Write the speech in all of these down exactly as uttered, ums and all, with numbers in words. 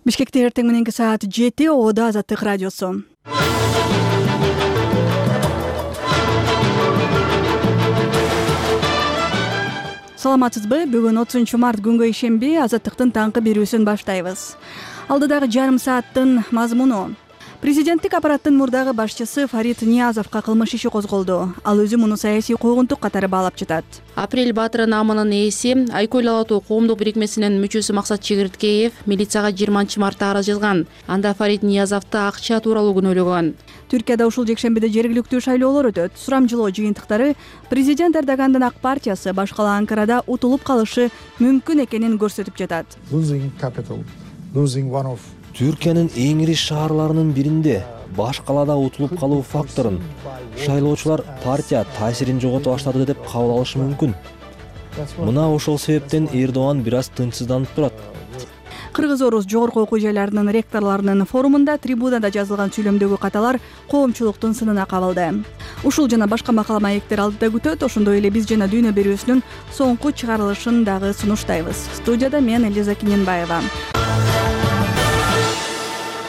Бишкекте эртең мененки саат жети, Оодо Азаттык радиосу. Саламатсызбы? Бүгүн отузунчу март күнгө ишемби Азаттыктын таңкы берүүсүн баштайбыз. Алдыдагы жарым сааттын мазмуну: Президенттик аппараттын мурдагы башчысы Фарид Ниязовго кылмыш иши козголду. Ал өзү муну саясий куугунтук катары баалап жатат. Апрель Баатыры наамынын ээси, Айкөл Ала-тоо коомдук бирикмесинин мүчөсү Максат Чегирткеев милицияга жыйырманчы мартта арыз жазган. Анда Фарид Ниязовду акча тууралуу күнөөлөгөн. Түркияда ушул жекшембиде жергиликтүү шайлоолор өтөт. Сурамжылоо жыйынтыктары президент Эрдогандын ак партиясы баш кала Анкарада утулуп калышы мүмкүн экенин көрсөтүп жатат. Түркиянын эң ири шаарларынын биринде баш калаада утулуп калуу факторун шайлоочулар партия таасирин жогото баштады деп кабыл алышы мүмкүн. Мына ошол себептен Эрдоган бир аз тынчсызданып турат. Кыргыз-орус жогорку окуу жайларынын ректорлорунун форумунда трибунада жазылган сүйлөмдөгү каталар коомчулуктун сынына кабылды. Ушул жана башка макала маектер алдыда күтөт. Ошондой эле биз жана Дүйнө берүүсүнүн соңку чыгарылышын дагы сунуштайбыз. Студияда мен Элиза Киненбаева.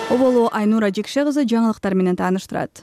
Оболу Айнура Жекше кызы жаңылыктар менен тааныштырат.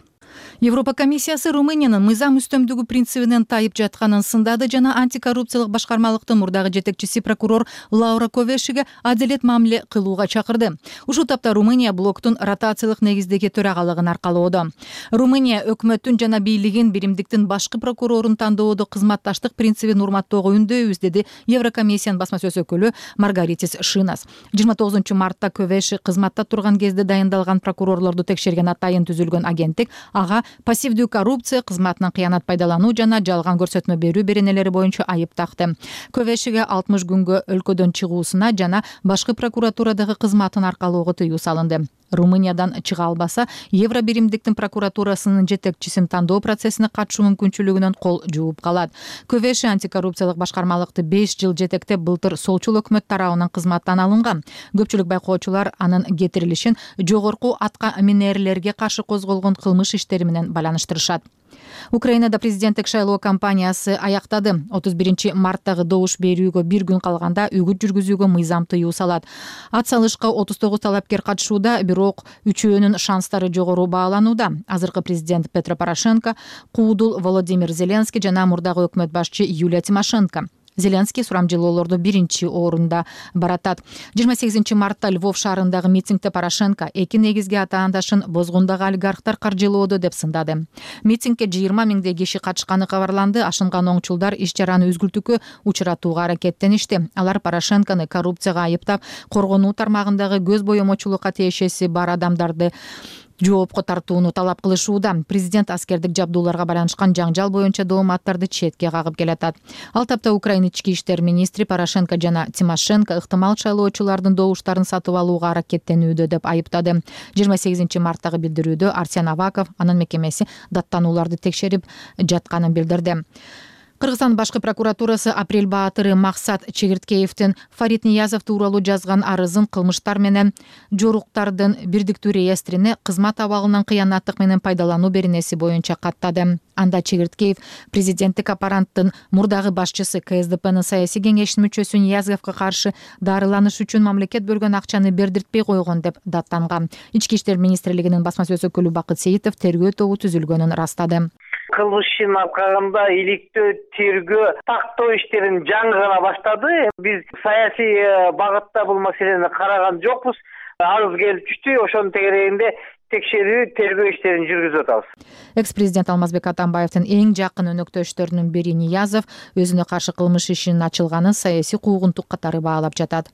Европа комиссиясы Румыниянын мыйзам үстөмдүгү принцибинен тайып жатканын сындады жана антикоррупциялык башкармалыктын мурдагы жетекчиси прокурор Лаура Ковешиге адилет мамиле кылууга чакырды. Ушул тапта Румыния блоктун ротациялык негиздеги төрагалыгын аркалоодо. Румыния өкмөттүн жана бийлигин биримдиктин башкы прокурорун тандоодо кызматташтык принцибин урматтоого үндөйбүз, деди Еврокомиссиянын басма сөз өкүлү Маргаритис Шинас. жыйырма тогузунчу мартта Ковеши кызматта турган кезде дайындалган прокурорлорду текшерген атайын түзүлгөн агенттик ага пассивдүү коррупция, кызматынан кыянат пайдалануу жана жалган көрсөтмө берүү беренелери боюнча айып такты. Ковешиге алтымыш күнгө өлкөдөн чыгуусуна жана башкы прокуратурадагы кызматын аркалоого тыюу салынды. Румыниядан чыга албаса, Евро биримдиктин прокуратурасынын жетекчисин тандоо процессине катышуу мүмкүнчүлүгүнөн кол жууп калат. Ковеши антикоррупциялык башкармалыкты беш жыл жетектеп, былтыр солчул өкмөт тарабынан кызматтан алынган. Көпчүлүк байкоочулар анын кетирилишин жогорку атка минерлерге каршы козголгон кылмыш иштери менен байланыштырышат. Украинада президенттик шайлоо кампаниясы аяктады. отуз биринчи марттагы добуш берүүгө бир күн калганда үгүт жүргүзүүгө мыйзам тыюу салат. Ат салышка отуз тогуз талапкер катышууда, бирок үчөөнүн шанстары жогору бааланууда. Азыркы президент Петро Порошенко, куудул Володимир Зеленский жана мурдагы өкмөт башчы Юлия Тимошенко. Зеленский сурамжылоолордо биринчи орунда баратат. жыйырма сегизинчи мартта Львов шаарындагы митингде Порошенко эки негизги атаандашын бозгундагы олигархтар каржылоодо деп сындады. Митингге жыйырма миңдей киши катышканы кабарланды. Ашынган оңчулдар иш чараны үзгүлтүүгө учуратууга аракеттеништи. Алар Порошенкону коррупцияга айыптап, коргонуу тармагындагы көз боемочулукка тиешеси бар адамдарды жоопко тартууну талап кылышууда. Президент аскердик жабдууларга байланышкан жаңжал боюнча дооматтарды четке кагып келатат. Ал тапта Украина ички иштер министри Порошенко жана Тимошенко ыктымал шайлоочулардын добуштарын сатып алууга аракеттенүүдө деп айыптады. жыйырма сегизинчи марттагы билдирүүдө Арсен Аваков анын мекемеси даттанууларды текшерип жатканын билдирди. Кыргызстан башкы прокуратурасы Апрель Баатыры Максат Чегирткеевдин Фарид Ниязов тууралуу жазган арызын кылмыштар менен жоруктардын бирдиктүү реестрине кызмат абалынан кыянаттык менен пайдалануу беренеси боюнча каттады. Анда Чегирткеев президенттик аппараттын мурдагы башчысы Ка Эс Де Пнын саясий кеңештин мүчөсү Ниязовго каршы дарыланыш үчүн мамлекет бөлгөн акчаны бердиртпей койгон деп даттанган. Ички иштер министрлигинин басма сөз өкүлү Бакыт Сейитов тергөө тобу түзүлгөнүн ырастады. Кылмыш ишин алкагында иликтөө, тергөө, тактоо иштерин жаңы гана баштады. Биз саясий багытта бул маселени караган жокпуз. Арыз келип түштү, ошонун тегерегинде текшерүү, тергөө иштерин жүргүзүп атабыз. Экс-президент Алмазбек Атамбаевдин эң жакын өнөктөштөрүнүн бири Ниязов өзүнө каршы кылмыш ишинин ачылганын саясий куугунтук катары баалап жатат.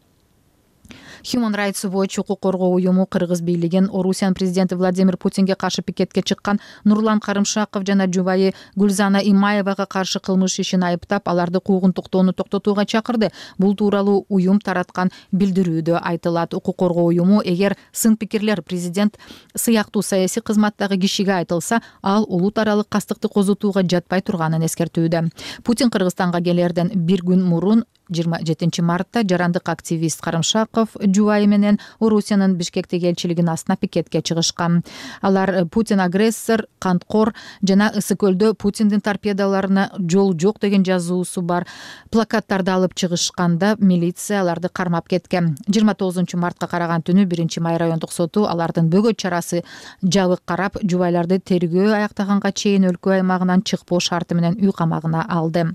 Human Rights Watch укук коргоо уюму Кыргыз бийлигин Орусиянын президенти Владимир Путинге каршы пикетке чыккан Нурлан Карымшаков жана жубайы Гүлзана Имаевага каршы кылмыш ишин айыптап, аларды куугунтуктоону токтотууга чакырды. Бул тууралуу уюм тараткан билдирүүдө айтылат. Укук коргоо уюму эгер сын пикирлер президент сыяктуу саясий кызматтагы кишиге айтылса, ал улут аралык кастыкты козутууга жатпай турганын эскертүүдө. Путин Кыргызстанга келерден бир күн мурун жыйырма жетинчи мартта жарандык активист Карымшаков жубайы менен Орусиянын Бишкектеги элчилигинин астына пикетке чыгышкан. Алар Путин агрессор, канткор жана Ысык көлдө Путиндин торпедаларына жол жок деген жазуусу бар плакаттарды алып чыгышканда милиция аларды кармап кеткен. жыйырма тогузунчу мартка караган түнү биринчи май райондук соту алардын бөгөт чарасы жабык карап, жубайларды тергөө аяктаганга чейин өлкө аймагынан чыкпоо шарты менен үй камагына алды.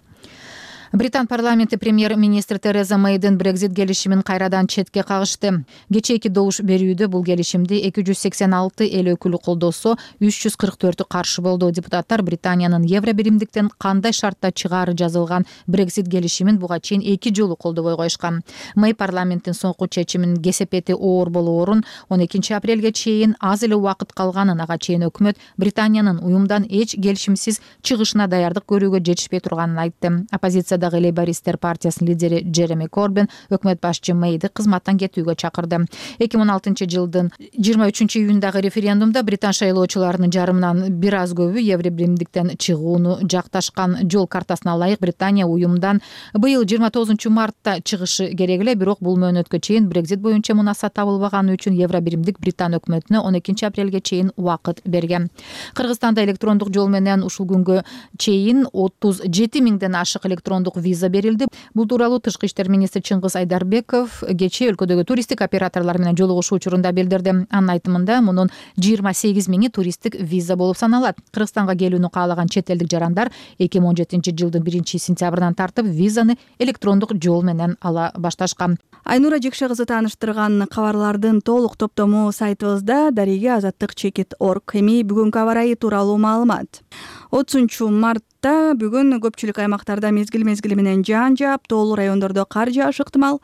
Британ парламенти премьер-министр Тереза Мэйдин Брекзит келишимин кайрадан четке кагышты. Кечээки добуш берүүдө бул келишимди эки жүз сексен алты эл өкүлү колдосо, үч жүз кырк төртү каршы болду. Депутаттар Британиянын Евро биримдиктен кандай шартта чыгаары жазылган Брекзит келишимин буга чейин эки жолу колдобой коюшкан. Мэй парламенттин соңку чечиминин кесепети оор болоорун, он экинчи апрелге чейин аз эле убакыт калганын, ага чейин өкмөт Британиянын уюмдан эч келишимсиз чыгышына даярдык көрүүгө жетишпей турганын айтты. Оппозиция Лейбористер партиясынын лидери Джереми Корбин өкмөт башчы Мэйди кызматтан кетүүгө чакырды. эки миң он алтынчы жылдын жыйырма үчүнчү июндагы референдумда британ шайлоочуларынын жарымынан бир аз көбү Евро биримдиктен чыгууну жакташкан. Жол картасына ылайык Британия уюмдан быйыл жыйырма тогузунчу мартта чыгышы керек эле, бирок бул мөөнөткө чейин Брекзит боюнча мунаса табылбаганы үчүн Евро биримдик Британ өкмөтүнө он экинчи апрелге чейин убакыт берген. Кыргызстанда электрондук жол менен ушул күнгө чейин отуз жети миңден ашык электрондук виза берилди. Бул тууралуу Тышкы иштер министри Чыңгыз Айдарбеков кечээ өлкөдөгү туристтик операторлор менен жолугушуу учурунда билдирди. Анын айтымында мунун жыйырма сегиз миңи туристтик виза болуп саналат. Кыргызстанга келүүнү каалаган чет элдик жарандар эки миң он жетинчи жылдын биринчи сентябрынан тартып визаны электрондук жол менен ала башташкан. Айнура Жекше кызы тааныштырган кабарлардын толук топтому сайтыбызда дареге азаттык чекит точка орг. Эми бүгүнкү аба ырайы тууралуу маалымат. отузунчу мартта бүгүн көпчүлүк аймактарда мезгил мезгили менен жаан жаап, тоолуу райондордо кар жаашы ыктымал.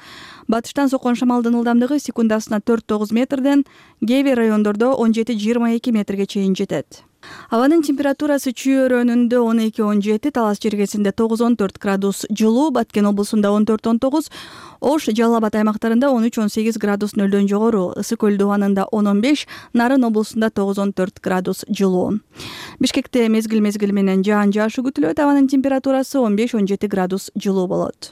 Батыштан соккон шамалдын ылдамдыгы секундасына төрт тогуз метрден, кээ бир райондордо он жети жыйырма эки метрге чейин жетет. Абанын температурасы Чүй өрөөнүндө он эки он жети, Талас жергесинде тогуз он төрт градус жылуу, Баткен облусунда он төрт он тогуз, Ош, Жалал Абад аймактарында он үч он сегиз градус нөлдөн жогору, Ысык көл дубанында он он беш, Нарын облусунда тогуз он төрт градус жылуу. Бишкекте мезгил мезгили менен жаан жаашы күтүлөт, абанын температурасы он беш он жети градус жылуу болот.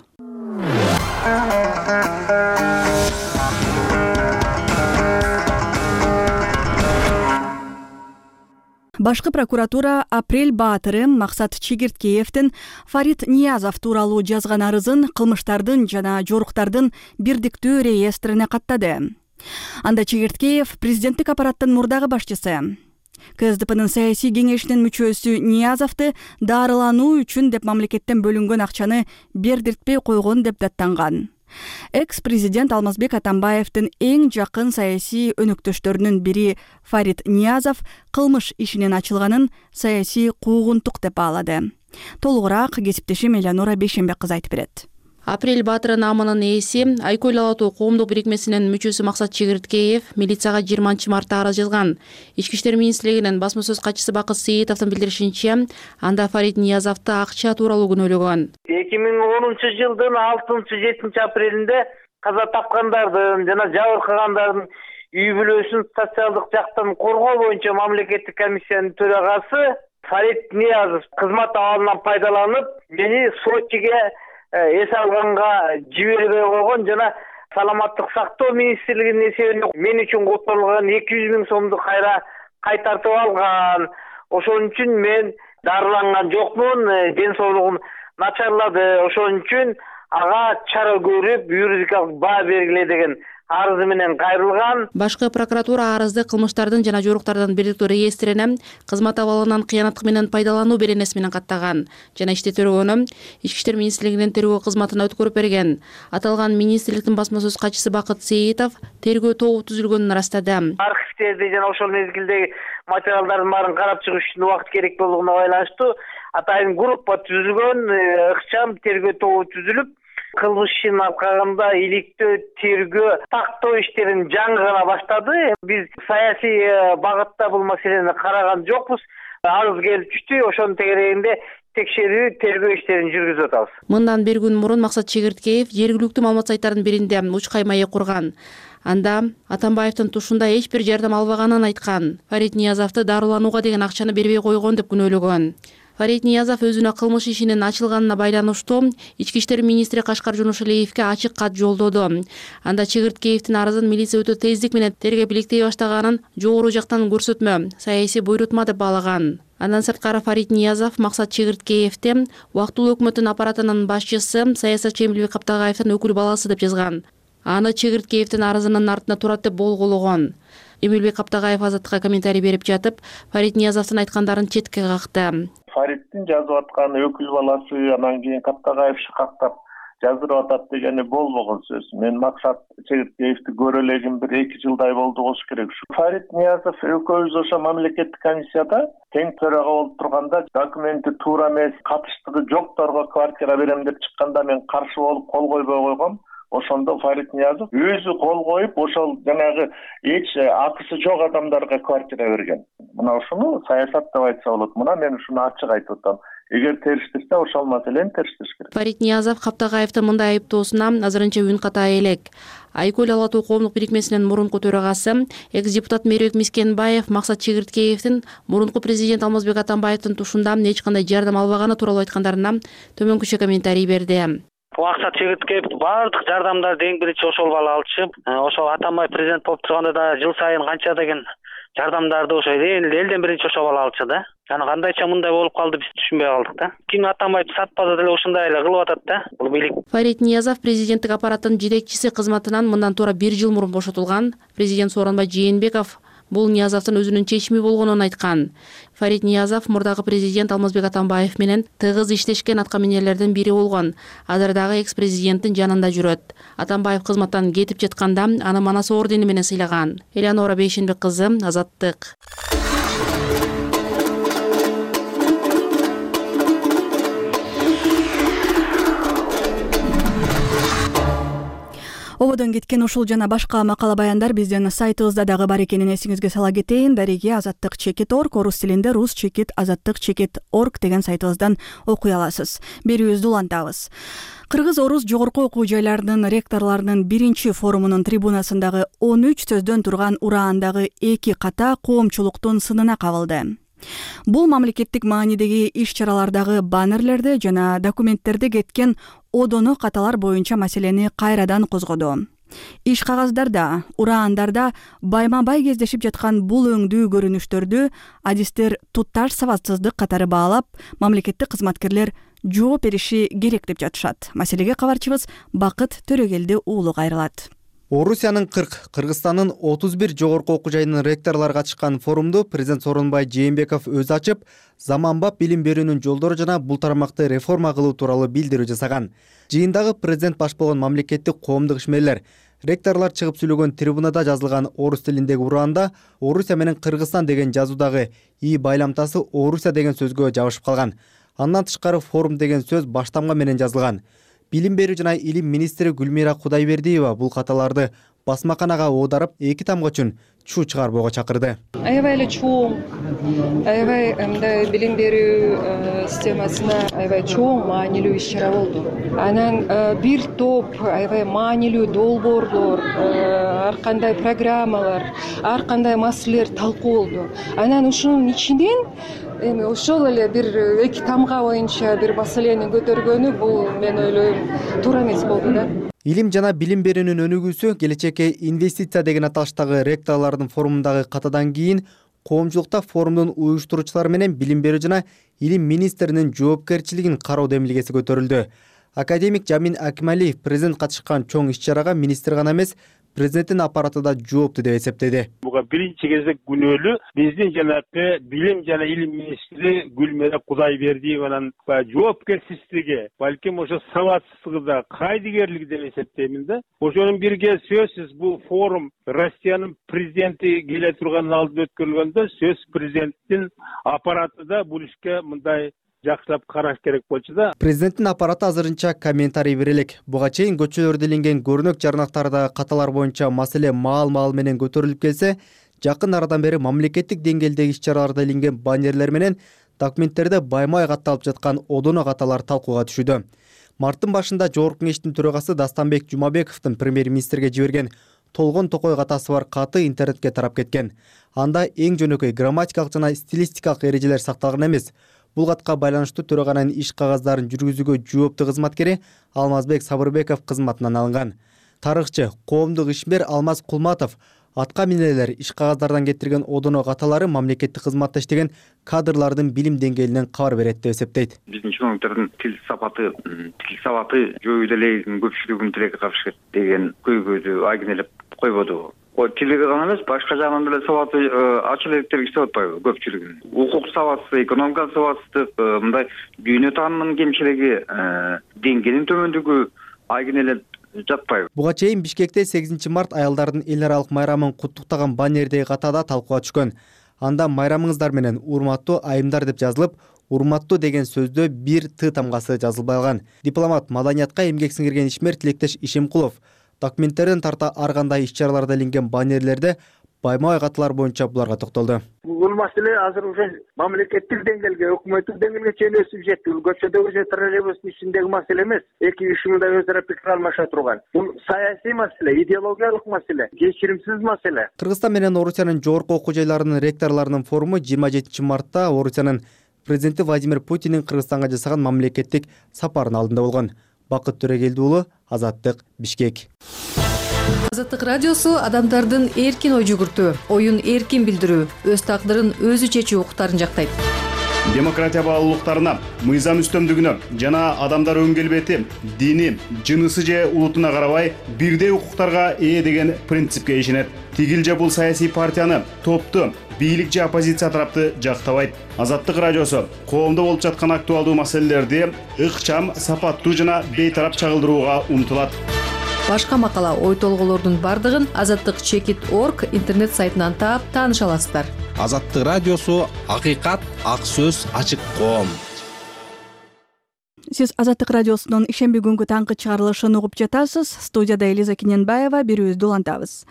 Башкы прокуратура Апрель Баатыры Максат Чегирткеевдин Фарид Ниязов тууралуу жазган арызын кылмыштардын жана жоруктардын бирдиктүү реестрине каттады. Анда Чегирткеев президенттик аппараттын мурдагы башчысы. КСДПнын саясий кеңешинин мүчөсү Ниязовду дарылануу үчүн деп мамлекеттен бөлүнгөн акчаны бердиртпей койгон деп даттанган. Экс-президент Алмазбек Атамбаевдин эң жакын саясий өнөктөштөрүнүн бири Фарид Ниязов кылмыш ишинин ачылганын саясий куугунтук деп баалады. Толугураак кесиптешим Элеонора Бейшембек кызы айтып берет. Апрель Баатыры наамынын ээси Айкөл Алатуу коомдук бирикмесинин мүчөсү Максат Чегирткеев милицияга жыйырманчы мартта арыз жазган. Ички иштер министрлигинин басма сөз катчысы Бакыт Сейитовдун билдиришинче, анда Фарид Ниязовду акча тууралуу күнөөлөгөн. эки миң онунчу жылдын алтынчы жетинчи апрелинде каза тапкандардын жана жабыркагандардын үй бүлөсүн социалдык жактан коргоо боюнча мамлекеттик комиссиянын төрагасы Фарид Ниязов кызмат абалынан пайдаланып, мени Сочиге эс алганга жибербей койгон жана саламаттык сактоо министрлигинин эсебинде мен үчүн которулган эки жүз миң сомду кайра кайтартып алган. Ошон үчүн мен дарыланган жокмун, ден соолугум начарлады. Ошон үчүн ага чара көрүп, юридикалык баа бергиле деген арызы менен кайрылган. Башкы прокуратура арызды кылмыштардын жана жоруктардын бирдиктүү реестрине кызмат абалынан кыянаттык менен пайдалануу беренеси менен каттаган жана ишти төрөгөнү Ички иштер министрлигинин тергөө кызматына өткөрүп берген. Аталган министрликтин басма сөз катчысы Бакыт Сейитов тергөө тобу түзүлгөнүн ырастады. Архивдерди жана ошол мезгилдеги материалдардын баарын карап чыгыш үчүн убакыт керек болгонуна байланыштуу атайын группа түзүлгөн, ыкчам тергөө тобу түзүлүп, кылмыш ишин алкагында иликтөө, тергөө, тактоо иштерин жаңы гана баштады. Биз саясий багытта бул маселени караган жокпуз. Арыз келип түштү, ошонун тегерегинде текшерүү, тергөө иштерин жүргүзүп атабыз. Мындан бир күн мурун Максат Чегирткеев жергиликтүү маалымат сайттарынын биринде учкай маек курган. Анда Атамбаевдин тушунда эч бир жардам албаганын айткан. Фарид Ниязовду дарыланууга деген акчаны бербей койгон деп күнөөлөгөн. Фарид Ниязов өзүнө кылмыш ишинин ачылганына байланыштуу ички иштер министри Кашкар Жунушалиевге ачык кат жолдоду. Анда Чегирткеевдин арызын милиция өтө тездик менен тергеп иликтей баштаганын жогору жактан көрсөтмө, саясий буйрутма деп баалаган. Андан сырткары Фарид Ниязов Максат Чегирткеевди убактылуу өкмөттүн аппаратынын башчысы саясатчы Эмилбек Каптагаевдин өкүл баласы деп жазган. Аны Чегирткеевдин арызынын артында турат деп болгоологон. Эмилбек Каптагаев Азаттыкка комментарий берип жатып, Фарид Ниязовдун айткандарын четке какты. Фариддин жазып аткан өкүл баласы анан кийин Каптагаев шыкактап жаздырып атат дегени болбогон сөз. Мен Максат Чегирткеевди көрө элегим бир эки жылдай болду болуш керек. Фарид Ниязов экөөбүз ошо мамлекеттик комиссияда тең төрага болуп турганда документи туура эмес, катыштыгы жокторго квартира берем деп чыкканда мен каршы болуп кол койбой койгом. Ошондо Фарид Ниязов өзү кол коюп, ошол жанагы эч акысы жок адамдарга квартира берген. Мына ушуну саясат деп айтса болот. Мына мен ушуну ачык айтып атам. Эгер териштирсе, ошол маселени териштириш керек. Фарид Ниязов Каптагаевдин мындай айыптоосуна азырынча үн ката элек. Айкөл Ала Тоо коомдук бирикмесинин мурунку төрагасы, экс-депутат Мерибек Мискенбаев Максат Чегирткеевдин мурунку президент Алмазбек Атамбаевдин тушундан эч кандай жардам албаганы тууралуу айткандарына төмөнкүчө комментарий берди. Максат Чегирткеев баардык жардамдарды эң биринчи ошол бала алчу. Ошол Атамбаев президент болуп турганда да жыл сайын канча деген жардамдарды ошо элден биринчи ошол бала алчу да. Аны кандайча мындай болуп калды, биз түшүнбөй калдык да. Ким Атамбаев сатпаса деле ушундай эле кылып атат да. Бул бийлик. Фарид Ниязов президенттик аппараттын жетекчиси кызматынан мындан туура бир жыл мурун бошотулган. Президент Сооронбай Жээнбеков бул Ниязовдун өзүнүн чечими болгонун айткан. Фарид Ниязов мурдагы президент Алмазбек Атамбаев менен тыгыз иштешкен аткаминерлердин бири болгон. Азыр дагы экс-президенттин жанында жүрөт. Атамбаев кызматтан кетип жатканда аны Манас ордени менен сыйлаган. Элеонора Бейшенбек кызы, Азаттык. Ободон кеткен ушул жана башка макала баяндар биздин сайтыбызда дагы бар экенин эсиңизге сала кетейин. Дареги азаттык чекит точка орг, орус тилинде рус чекит азаттык чекит точка орг деген сайтыбыздан окуй аласыз. Берүүбүздү улантабыз. Кыргыз-орус жогорку окуу жайларынын ректорлорунун биринчи форумунун трибунасындагы он үч сөздөн турган ураандагы эки ката коомчулуктун сынына кабылды. Бул мамлекеттик маанидеги иш-чаралардагы баннерлерди жана документтерди кеткен одоно каталар боюнча маселени кайрадан козгоду. Иш кагаздарда, ураандарда байма-бай кездешип жаткан бул өңдүү көрүнүштөрдү адистер тутташ сабатсыздык катары баалап, мамлекеттик кызматкерлер жооп бериши керек деп жатышат. Маселеге кабарчыбыз Бакыт Төрөгелди уулу кайрылат. Орусиянын кырк, Кыргызстандын отуз бир жогорку окуу жайынын ректорлору катышкан форумду президент Сооронбай Жээнбеков өзү ачып, заманбап билим берүүнүн жолдору жана бул тармакты реформа кылуу тууралуу билдирүү жасаган. Жыйындагы президент баш болгон мамлекеттик коомдук ишмерлер, ректорлор чыгып сүйлөгөн трибунада жазылган орус тилиндеги ураанда Орусия менен Кыргызстан деген жазуудагы и байламтасы Орусия деген сөзгө жабышып калган. Андан тышкары форум деген сөз баштамга менен жазылган. Билим берүү жана илим министри Гүлмира Кудайбердиева бул каталарды басмаканага оодарып, эки тамга үчүн чуу чыгарбоого чакырды. Аябай эле чоң, аябай мындай билим берүү системасына аябай чоң маанилүү иш-чара болду. Анан бир топ аябай маанилүү долбоорлор, ар кандай программалар, ар кандай маселелер талкуу болду. Анан ушунун ичинен эми ошол эле бир эки тамга боюнча бир маселени көтөргөнү бул мен ойлойм туура эмес болду да. Илим жана билим берүүнүн өнүгүүсү келечекке инвестиция деген аталыштагы ректорлордун форумундагы катадан кийин коомчулукта форумдун уюштуруучулары менен билим берүү жана илим министринин жоопкерчилигин кароо демилгеси көтөрүлдү. Академик Жамин Акималиев президент катышкан чоң иш-чарага министр гана эмес, президенттин аппараты да жоопту деп эсептеди. Буга биринчи кезек күнөөлүү биздин жанагы билим жана илим министри Гүлмира Кудайбердиеванын жоопкерчилиги, балким ошо сабатсыздыгы да, кайдыгерлиги деп эсептеймин да. Ошонун бирге сөзсүз бул форум Россиянын президенти келе турганын алдында өткөрүлгөндө сөз президенттин аппараты да бул ишке мындай жакшылап караш керек болчу да. Президенттин аппараты азырынча комментарий бере элек. Буга чейин көчөлөрдө иленген көрүнөк жарнактарда каталар боюнча маселе маал-маал менен көтөрүлүп келсе, жакын арадан бери мамлекеттик деңгээлдеги иш-чараларда иленген баннерлер менен документтерде байма-бай катталып жаткан одоно каталар талкууга түшүүдө. Марттын башында Жогорку кеңештин төрагасы Дастанбек Жумабековдун премьер-министрге жиберген толгон токой катасы бар каты интернетке тарап кеткен. Анда эң жөнөкөй грамматикалык жана стилистикалык эрежелер сакталган эмес. Бул катка байланыштуу төраганын иш кагаздарын жүргүзүүгө жооптуу кызматкери Алмазбек Сабырбеков кызматынан алынган. Тарыхчы, коомдук ишмер Алмаз Кулматов атка мине элер иш кагаздардан кетирген одоно каталары мамлекеттик кызматта иштеген кадрлардын билим деңгээлинен кабар берет деп эсептейт. Биздин чиновниктердин тил сапаты, тил сабаты жөө элегин көпчүлүгүнүн тилекке каршы деген көйгөйдү айгинелеп койбоду. Ой, тилеге гана эмес, башка жагынан деле сабаты ачыл электер иштеп атпайбы көпчүлүгүнүн. Укук сабаты, экономика сабатсыздык, мындай дүйнө таанымынын кемчилиги, деңгээлинин төмөндүгү айгинелеп жатпайбы. Буга чейин Бишкекте сегизинчи март аялдардын эл аралык майрамын куттуктаган баннердеги катада талкууга түшкөн. Анда майрамыңыздар менен урматтуу айымдар деп жазылып, урматтуу деген сөздө бир Т тамгасы жазылбай калган. Дипломат, маданиятка эмгек сиңирген ишмер Тилектеш Ишемкулов документтерден тарта ар кандай иш-чараларда илинген баннерлерде байма-бай каталар боюнча буларга токтолду. Бул маселе азыр уже мамлекеттик деңгээлге, өкмөттүк деңгээлге чейин өсүп жетти. Бул көчөдөгү же троллейбустун ичиндеги маселе эмес. Эки ишмирда өз ара пикир алмаша турган. Бул саясий маселе, идеологиялык маселе, кечиримсиз маселе. Кыргызстан менен Орусиянын жогорку окуу жайларынын ректорлорунун форуму жыйырма жетинчи мартта Орусиянын президенти Владимир Путиндин Кыргызстанга жасаган мамлекеттик сапарынын алдында болгон. Бакыт Төрегелди уулу, Азаттык, Бишкек. Азаттык радиосу адамдардын эркин ой жүгүртүү, оюн эркин билдирүү, өз тагдырын өзү чечүү укуктарын жактайт. Демократия баалуулуктарына, мыйзам үстөмдүгүнө жана адамдар өң келбети, дини, жынысы же улутуна карабай бирдей укуктарга ээ деген принципке ишенет. Тигил же бул саясий партияны, топту, бийлик же оппозиция тарапты жактабайт. Азаттык радиосу коомдо болуп жаткан актуалдуу маселелерди ыкчам, сапаттуу жана бейтарап чагылдырууга умтулат. Башка макала, ой толголордун бардыгын азаттык чекит точка орг интернет сайтынан таап тааныша аласыздар. Азаттык радиосу акыйкат, ак сөз, ачык коом. Сиз Азаттык радиосунун ишемби күнгү таңкы чыгарылышын угуп жатасыз. Студияда Элиза Кененбаева, берүүбүздү улантабыз.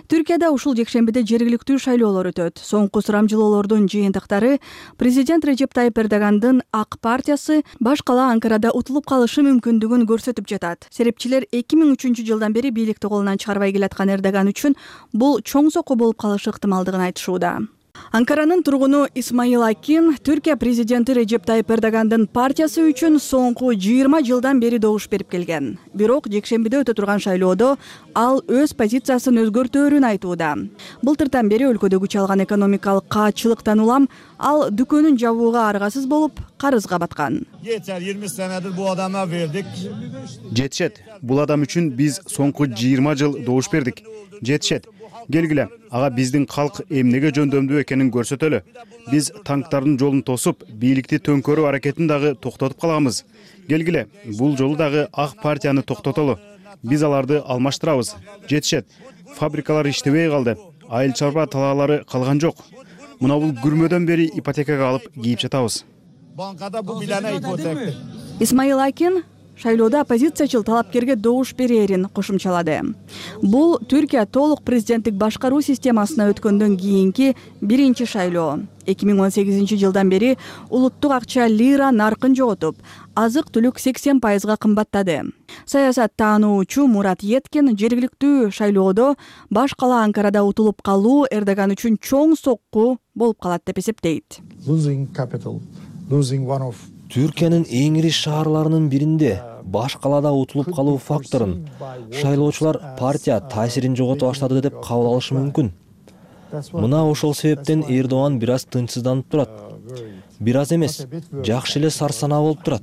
Түркияда ушул жекшембиде жергиликтүү шайлоолор өтөт. Соңку сурамжылоолордун жыйынтыктары президент Режеп Тайып Эрдогандын ак партиясы баш кала Анкарада утулуп калышы мүмкүндүгүн көрсөтүп жатат. Серепчилер эки миң үчүнчү жылдан бери бийликти колунан чыгарбай келаткан Эрдоган үчүн бул чоң сокку болуп калышы ыктымалдыгын айтышууда. Анкаранын тургуну Исмаил Акин Түркия президенти Режеп Тайып Эрдогандын партиясы үчүн соңку жыйырма жылдан бери добуш берип келген. Бирок жекшембиде өтө турган шайлоодо ал өз позициясын өзгөртөөрүн айтууда. Былтыртан бери өлкөдө күч алган экономикалык каатчылыктан улам ал дүкөнүн жабууга аргасыз болуп, карызга баткан. Жетишет. Бул адам үчүн биз соңку жыйырма жыл добуш бердик. Жетишет. Келгиле, ага биздин калк эмнеге жөндөмдүү экенин көрсөтөлү. Биз танктардын жолун тосуп, бийликти төңкөрүү аракетин дагы токтотуп каламыз. Келгиле, бул жолу дагы ак партияны токтотолу. Биз аларды алмаштырабыз. Жетишет. Фабрикалар иштебей калды. Айыл чарба талаалары калган жок. Мына бул күрмөдөн бери ипотекага алып кийип жатабыз. Банкада бул билана ипотека. Исмаил Акин шайлоодо оппозициячыл талапкерге добуш берерин кошумчалады. Бул Түркия толук президенттик башкаруу системасына өткөндөн кийинки биринчи шайлоо. эки миң он сегизинчи жылдан бери улуттук акча лира наркын жоготуп, азык-түлүк сексен пайызга кымбаттады. Саясат таануучу Мурат Еткин жергиликтүү шайлоодо баш кала Анкарада утулуп калуу Эрдоган үчүн чоң сокку болуп калат деп эсептейт. Түркиянын эң ири шаарларынын биринде баш калада утулуп калуу факторун шайлоочулар партия таасирин жогото баштады деп кабыл алышы мүмкүн. Мына ошол себептен Эрдоган бир аз тынчсызданып турат. Бир аз эмес, жакшы эле сарсанаа болуп турат.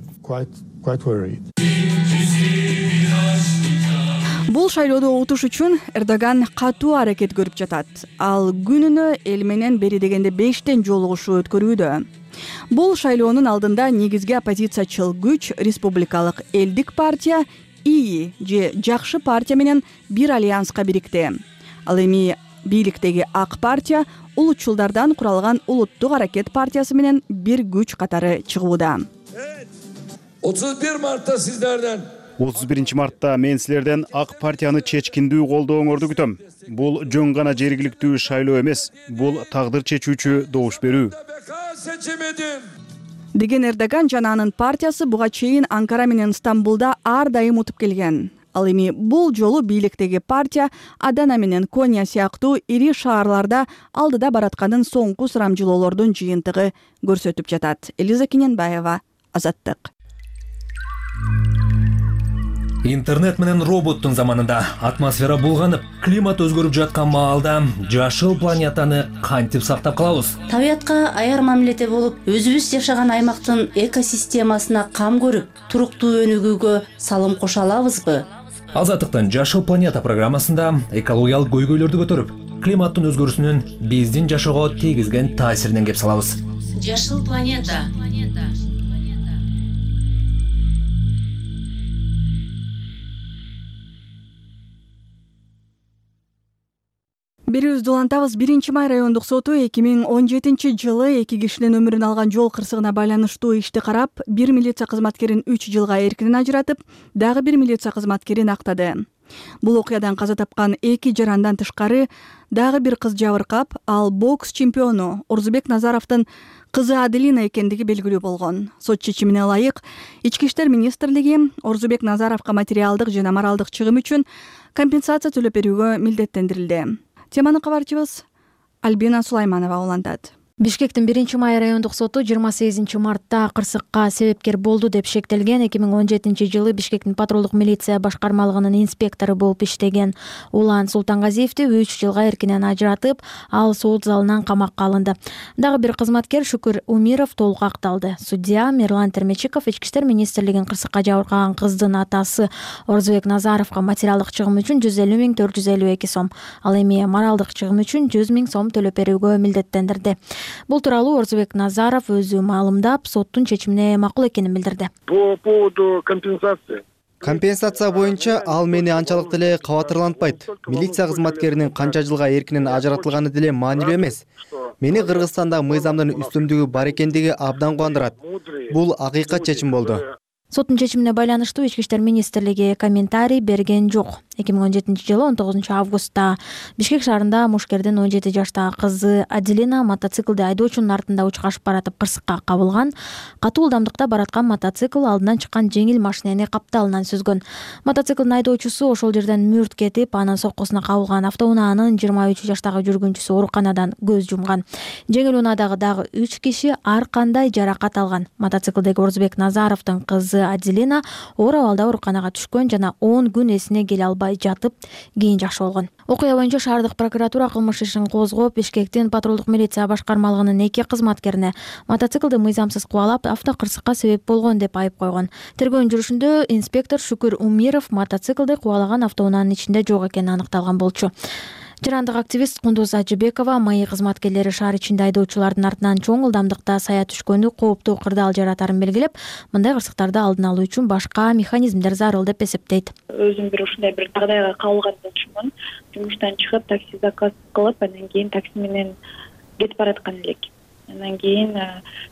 Бул шайлоодо утуш үчүн Эрдоган катуу аракет көрүп жатат. Ал күнүнө эл менен бери дегенде бештен жолугушуу өткөрүүдө. Бул шайлоонун алдында негизги оппозициячыл күч республикалык элдик партия ИИ же жакшы партия менен бир альянска бирикти. Ал эми бийликтеги ак партия улутчулдардан куралган улуттук аракет партиясы менен бир күч катары чыгууда. отуз бир мартта сиздерден отуз биринчи мартта мен силерден ак партияны чечкиндүү колдооңорду күтөм. Бул жөн гана жергиликтүү шайлоо эмес, бул тагдыр чечүүчү добуш берүү. Деген Эрдоган жана анын партиясы буга чейин Анкара менен Стамбулда ар дайым утуп келген. Ал эми бул жолу бийликтеги партия Адана менен Коня сыяктуу ири шаарларда алдыда баратканын соңку сурамжылоолордун жыйынтыгы көрсөтүп жатат. Элиза Кененбаева, Азаттык. Интернет менен роботтун заманында атмосфера булганып, климат өзгөрүп жаткан маалда жашыл планетаны кантип сактап калабыз? Табиятка аяр мамиледе болуп, өзүбүз жашаган аймактын экосистемасына кам көрүп, туруктуу өнүгүүгө салым кошо алабызбы? Азаттыктын Жашыл планета программасында экологиялык көйгөйлөрдү көтөрүп, климаттын өзгөрүүсүнүн биздин жашоого тийгизген таасиринен кеп салабыз. Жашыл планета. Берүүбүздү улантабыз. биринчи май райондук соту эки миң он жетинчи жылы эки кишинин өмүрүн алган жол кырсыгына байланыштуу ишти карап, бир милиция кызматкерин үч жылга эркинен ажыратып, дагы бир милиция кызматкерин актады. Бул окуядан каза тапкан эки жарандан тышкары дагы бир кыз жабыркап, ал бокс чемпиону Орзубек Назаровдун кызы Аделина экендиги белгилүү болгон. Сот чечимине ылайык, Ички иштер министрлиги Орзубек Назаровго материалдык жана моралдык чыгым үчүн компенсация төлөп берүүгө милдеттендирилди. Теманы кабарчыбыз Альбина Сулайманова улантат. Бишкектин биринчи май райондук соту жыйырма сегизинчи мартта кырсыкка себепкер болду деп шектелген. эки миң он жетинчи жылы Бишкектин патрулдук милиция башкармалыгынын инспектору болуп иштеген Улан Султангазиевди үч жылга эркинен ажыратып, ал сот залынан камакка алынды. Дагы бир кызматкер Шүкүр Умиров толук акталды. Судья Мирлан Термечиков Ички иштер министрлигин кырсыкка жабыркаган кыздын атасы Орзубек Назаровго материалдык чыгым үчүн жүз элүү миң төрт жүз элүү эки сом, ал эми моралдык чыгым үчүн жүз миң сом төлөп берүүгө милдеттендирди. Бул тууралуу Орзубек Назаров өзү маалымдап, соттун чечимине макул экенин билдирди. По поводу компенсации. Компенсация боюнча ал мени анчалык деле кабатырлантпайт. Милиция кызматкеринин канча жылга эркинен ажыратылганы деле маанилүү эмес. Мени Кыргызстанда мыйзамдын үстөмдүгү бар экендиги абдан кубандырат. Бул акыйкат чечим болду. Соттун чечимине байланыштуу Ички иштер министрлиги комментарий берген жок. эки миң он жетинчи жылы он тогузунчу августта Бишкек шаарында мушкердин он жети жаштагы кызы Аделина мотоциклди айдоочунун артында учкашып баратып кырсыкка кабылган. Катуу ылдамдыкта бараткан мотоцикл алдынан чыккан жеңил машинени капталынан сүзгөн. Мотоциклдин айдоочусу ошол жерден мүрт кетип, анын соккусуна кабылган автоунаанын жыйырма үч жаштагы жүргүнчүсү ооруканадан көз жумган. Жеңил унаадагы дагы үч киши ар кандай жаракат алган. Мотоциклдеги Орзубек Назаровдун кызы Аделина оор абалда ооруканага түшкөн жана он күн эсине келе албай жатып, кийин жакшы болгон. Окуя боюнча шаардык прокуратура кылмыш ишин козгоп, Бишкектин патрулдук милиция башкармалыгынын эки кызматкерине мотоциклди мыйзамсыз кубалап, автокырсыкка себеп болгон деп айып койгон. Тергөөнүн жүрүшүндө инспектор Шүкүр Умиров мотоциклди кубалаган автоунаанын ичинде жок экени аныкталган болчу. Жарандык активист Кундуз Ажыбекова МАИ кызматкерлери шаар ичинде айдоочулардын артынан чоң ылдамдыкта сая түшкөнү кооптуу кырдаал жаратарын белгилеп, мындай кырсыктарды алдын алуу үчүн башка механизмдер зарыл деп эсептейт. Өзүм бир ушундай бир дагдайга кабылган болчумун. Жумуштан чыгып такси заказ кылып, андан кийин такси менен кетип бараткан элек. Андан кийин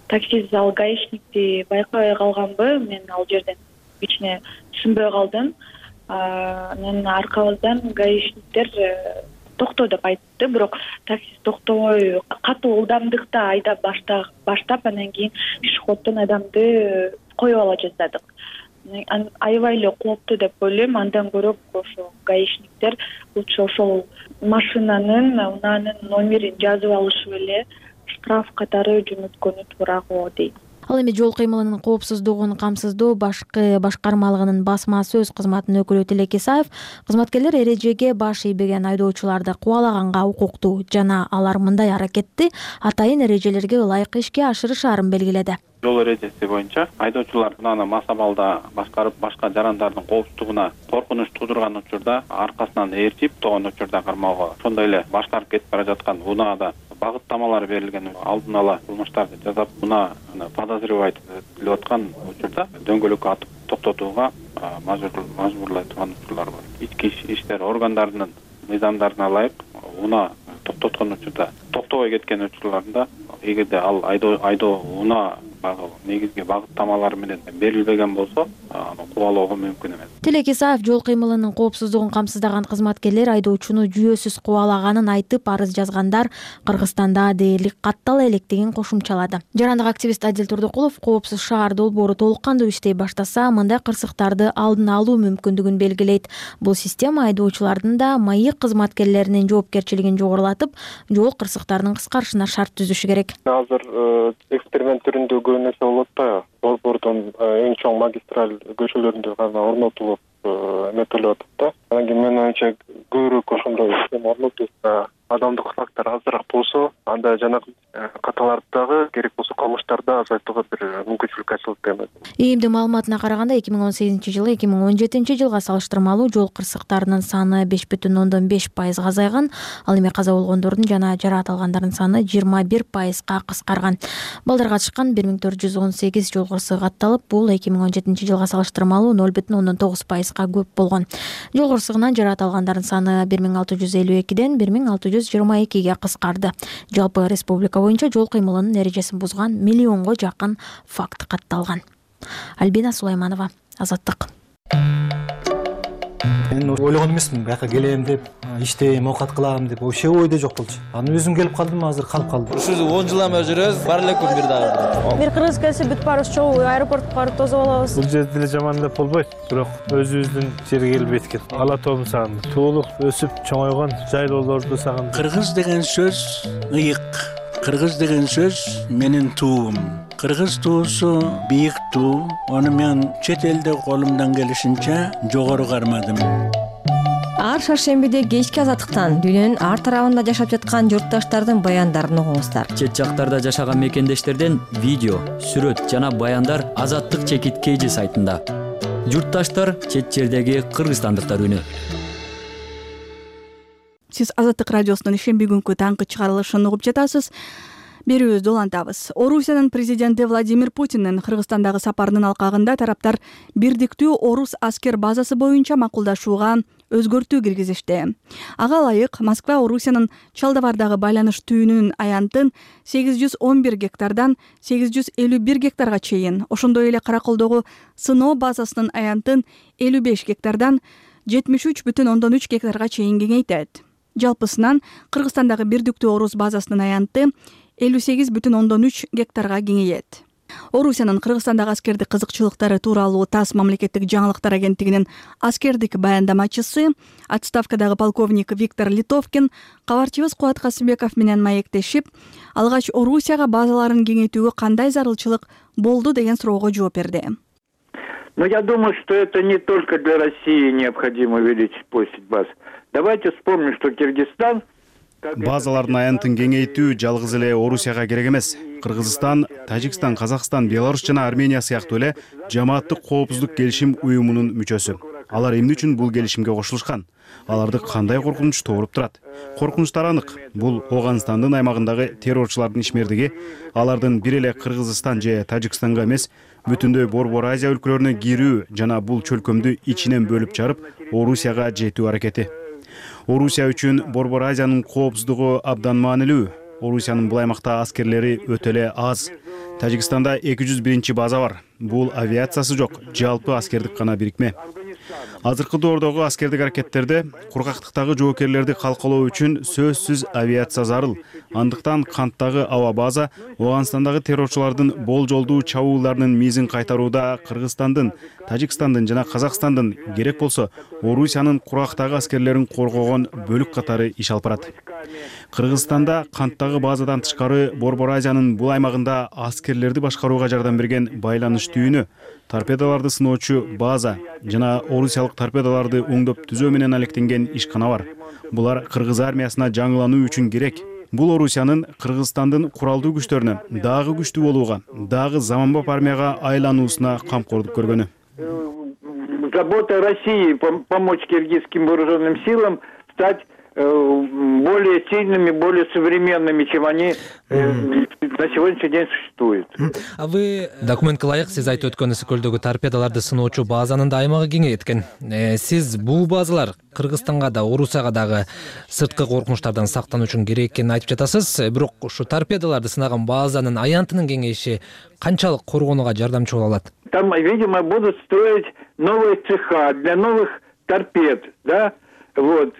такси зал гаишникти байкабай калганбы, мен ал жерден кичине түшүнбөй калдым. Анан аркабыздан гаишниктер токто деп айтты, бирок такси токтобой катуу ылдамдыкта айдап баштап, андан кийин пешеходдон адамды коюп ала жаздадык. Аябай эле кооптуу деп ойлойм. Андан көрөк ошо гаишниктер лучше ошол машинанын, унаанын номерин жазып алышып эле штраф катары жөнөткөнү туураго дейт. Ал эми жол кыймылынын коопсуздугун камсыздоо башкы башкармалыгынын басма сөз кызматынын өкүлү Тилек Исаев кызматкерлер эрежеге баш ийбеген айдоочуларды кубалаганга укуктуу жана алар мындай аракетти атайын эрежелерге ылайык ишке ашырышаарын белгиледи. Жол эрежеси боюнча айдоочулар унааны мас абалда башкарып, башка жарандардын коопсуздугуна коркунуч туудурган учурда аркасынан ээрчип, тогон учурда кармоого, ошондой эле башкарып кетип бара жаткан унаада багыттамалар берилген алдын ала кылмыштарды жасап, унаа подозревать этилип аткан учурда дөңгөлөккө атып токтотууга мажбурлай турган учурлар бар. Ички иштер органдарынын мыйзамдарына ылайык унаа токтоткон учурда токтобой кеткен учурларында, эгерде ал айдоо айдоо унаа негизги багыттамалары менен берилбеген болсо, аны кубалоого мүмкүн эмес. Тилек Исаев жол кыймылынын коопсуздугун камсыздаган кызматкерлер айдоочуну жүйөсүз кубалаганын айтып, арыз жазгандар Кыргызстанда дээрлик каттала электигин кошумчалады. Жарандык активист Адил Турдукулов коопсуз шаар долбоору толук кандуу иштей баштаса, мындай кырсыктарды алдын алуу мүмкүндүгүн белгилейт. Бул система айдоочулардын да маек кызматкерлеринин жоопкерчилигин жогорулатып, жол кырсыктарынын кыскарышына шарт түзүшү керек. Азыр эксперимент түрүндө көп нерсе болуп атпайбы? Долбоордун эң чоң магистраль көчөлөрүндө гана орнотулуп эметилип атат да. Анан кийин менин оюмча көбүрөөк ошондой система орнотулса, адамдык фактор азыраак болсо, анда жанагы каталарды дагы керек болсо кылмыштарды азайтууга бир мүмкүнчүлүк ачылат деп ойлойм. ИИМдин маалыматына караганда, эки миң он сегизинчи жылы эки миң он жетинчи жылга салыштырмалуу жол кырсыктарынын саны беш бүтүн ондон беш пайызга азайган, ал эми каза болгондордун жана жараат алгандардын саны жыйырма бир пайызга кыскарган. Балдар катышкан бир миң төрт жүз он сегиз жол кырсыгы катталып, бул эки миң он жетинчи жылга салыштырмалуу ноль бүтүн ондон тогуз пайызга көп болгон. Жол кырсыгынан жараат алгандардын саны бир миң алты жүз элүү экиден бир миң алты жүз жыйырма экиге кыскарды. Жалпы республика боюнча жол кыймылынын эрежесин бузган миллионго жакын факт катталган. Альбина Сулайманова, Азаттык. Мен ойлогон эмесмин, бияка келем деп, иштейм, оокат кылам деп, вообще ойдо жок болчу. Анан өзүм келип калдым, азыр калып калдым. Ушул он жыл эме жүрөбүз, бар эле күн бир дагы. Бир кыргыз келсе бүт баарыбыз чогуу аэропортко барып тосуп алабыз. Бул жерде деле жаман деп болбойт, бирок өзүбүздүн жерге келип эткен. Ала тоом сагындым. Туулук, өсүп, чоңойгон жайлоолорду сагындым. Кыргыз деген сөз ыйык. Кыргыз деген сөз менин туум. Кыргыз туусу бийик туу. Аны мен чет элде колумдан келишинче жогору кармадым. Ар шаршембиде кечки Азаттыктан дүйнөнүн ар тарабында жашап жаткан журтташтардын баяндарын угуңуздар. Чет жактарда жашаган мекендештерден видео, сүрөт жана баяндар Азаттык чекит кейжи сайтында. Журтташтар чет жердеги кыргызстандыктар үнү. Сиз Азаттык радиосунун ишемби күнкү таңкы чыгарылышын угуп жатасыз. Берүүбүздү улантабыз. Орусиянын президенти Владимир Путиндин Кыргызстандагы сапарынын алкагында тараптар бирдиктүү орус аскер базасы боюнча макулдашууга өзгөртүү киргизишти. Ага ылайык Москва Орусиянын Чалдыбардагы байланыш түйүнүнүн аянтын сегиз жүз он бир гектардан сегиз жүз элүү бир гектарга чейин, ошондой эле Караколдогу сыноо базасынын аянтын элүү беш гектардан жетимиш үч бүтүн ондон үч гектарга чейин кеңейтет. Жалпысынан Кыргызстандагы бирдиктүү орус базасынын аянты элүү сегиз бүтүн ондон үч гектарга кеңейет. Орусиянын Кыргызстандагы аскердик кызыкчылыктары тууралуу ТАСС мамлекеттик жаңылыктар агенттигинин аскердик баяндамачысы, отставкадагы полковник Виктор Литовкин кабарчыбыз Кубат Касымбеков менен маектешип, алгач Орусияга базаларын кеңейтүүгө кандай зарылчылык болду деген суроого жооп берди. Но я думаю, что это не только для России необходимо увеличить площадь баз. Давайте вспомним, что Киргизстан базалардын аянтын кеңейтүү жалгыз эле Орусияга керек эмес. Кыргызстан, Тажикстан, Казакстан, Беларусь жана Армения сыяктуу эле жамааттык коопсуздук келишим уюмунун мүчөсү. Алар эмне үчүн бул келишимге кошулушкан? Аларды кандай коркунуч тууруп турат? Коркунучтар анык. Бул Оганстандын аймагындагы террорчулардын ишмердиги, алардын бир эле Кыргызстан же Тажикстанга эмес, бүтүндөй Борбор Азия өлкөлөрүнө кирүү жана бул чөлкөмдү ичинен бөлүп жарып, Орусияга жетүү аракети. Орусия үчүн Борбор Азиянын коопсуздугу абдан маанилүү. Орусиянын бул аймакта аскерлери өтө эле аз. Тажикстанда эки жүз биринчи база бар. Бул авиациясы жок, жалпы аскердик гана бирикме. Азыркы доордогу аскердик аракеттерде кургактыктагы жоокерлерди калкалоо үчүн сөзсүз авиация зарыл. Андыктан канттагы аба база Оганстандагы террорчулардын болжолдуу чабуулдарынын мизин кайтарууда Кыргызстандын, Тажикстандын жана Казакстандын, керек болсо Орусиянын кургактагы аскерлерин коргогон бөлүк катары иш алып барат. Кыргызстанда канттагы базадан тышкары Борбор Азиянын бул аймагында аскерлерди башкарууга жардам берген байланыш түйүнү, торпедолорду сыноочу база жана орусиялык торпедолорду оңдоп түзөө менен алектенген ишкана бар. Булар кыргыз армиясына жаңылануу үчүн керек. Бул Орусиянын Кыргызстандын куралдуу күчтөрүнө дагы күчтүү болууга, дагы заманбап армияга айлануусуна камкордук көргөнү. Забота России помочь киргизским вооруженным силам стать более сильными, более современными, чем они на сегодняшний день существуют. А вы документке ылайык сиз айтып өткөнүңүз көлдөгү торпедаларды сыноочу базанын да аймагы кеңейет экен. Сиз бул базалар Кыргызстанга да, Орусияга дагы сырткы коркунучтардан сактануу үчүн керек экенин айтып жатасыз. Бирок ушу торпедаларды сынаган базанын аянтынын кеңейиши канчалык коргонууга жардамчы боло алат? Там, видимо, будут строить новые цеха для новых торпед, да, вот,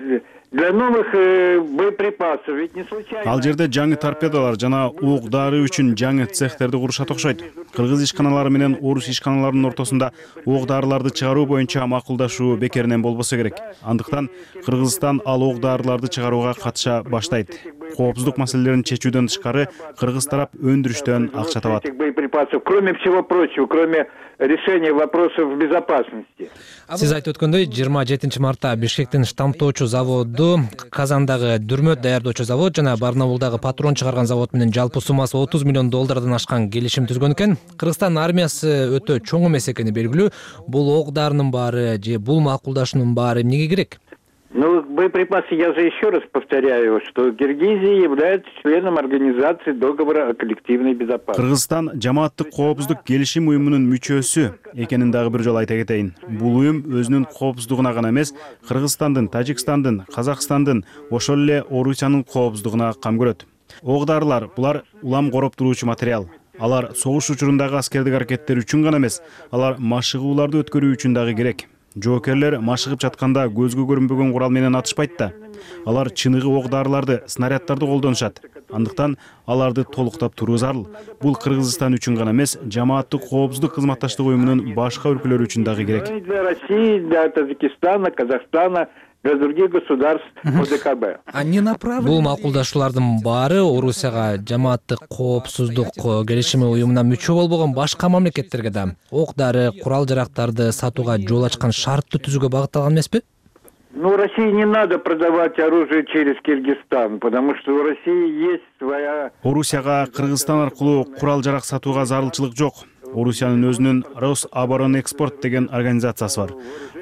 для новых э, боеприпасов. Ведь не случайно. Ал жерде жаңы торпедалар жана ок дары үчүн жаңы цехтерди курушат окшойт. Кыргыз ишканалары менен орус ишканаларынын ортосунда ок дарыларды чыгаруу боюнча макулдашуу бекеринен болбосо керек. Андыктан Кыргызстан ал ок дарыларды чыгарууга катыша баштайт. Коопсуздук маселелерин чечүүдөн тышкары Кыргыз тарап өндүрүштөн акча табат. Боеприпасов, кроме всего прочего, кроме решения вопросов безопасности. Сиз айтып өткөндөй, жыйырма жетинчи мартта Бишкектин штамптоочу заводу, Казандагы дүрмөт даярдоочу завод жана Барнаулдагы патрон чыгарган завод менен жалпы суммасы отуз миллион доллардан ашкан келишим түзгөн экен. Кыргызстан армиясы өтө чоң эмес экени белгилүү. Бул ок дарынын баары же бул макулдашуунун баары эмнеге керек? Ну, боеприпасы, я же еще раз повторяю, что Киргизия является членом организации договора о коллективной безопасности. Кыргызстан жамааттык коопсуздук келишим уюмунун мүчөсү экенин дагы бир жолу айта кетейин. Бул уюм өзүнүн коопсуздугуна гана эмес, Кыргызстандын, Тажикстандын, Казакстандын, ошол эле Орусиянын коопсуздугуна кам көрөт. Ок дарылар булар улам короп туруучу материал. Алар согуш учурундагы аскердик аракеттер үчүн гана эмес, алар машыгууларды өткөрүү үчүн дагы керек. Жоокерлер машыгып жатканда көзгө көрүнбөгөн курал менен атышпайт да. Алар чыныгы ок дарыларды, снаряддарды колдонушат. Андыктан аларды толуктап туруу зарыл. Бул Кыргызстан үчүн гана эмес, жамааттык коопсуздук кызматташтык уюмунун башка өлкөлөр үчүн дагы керек. Для России, для Таджикистана, Казахстана, для других государств ОДКБ. Бул макулдашуулардын баары Орусияга жамааттык коопсуздук келишими уюмуна мүчө болбогон башка мамлекеттерге да ок дары, курал жарактарды сатууга жол ачкан шартты түзүүгө багытталган эмеспи? Ну, России не надо продавать оружие через Киргизстан, потому что у России есть своя... Орусияга Кыргызстан аркылуу курал жарак сатууга зарылчылык жок. Орусиянын өзүнүн Рособоронэкспорт деген организациясы бар.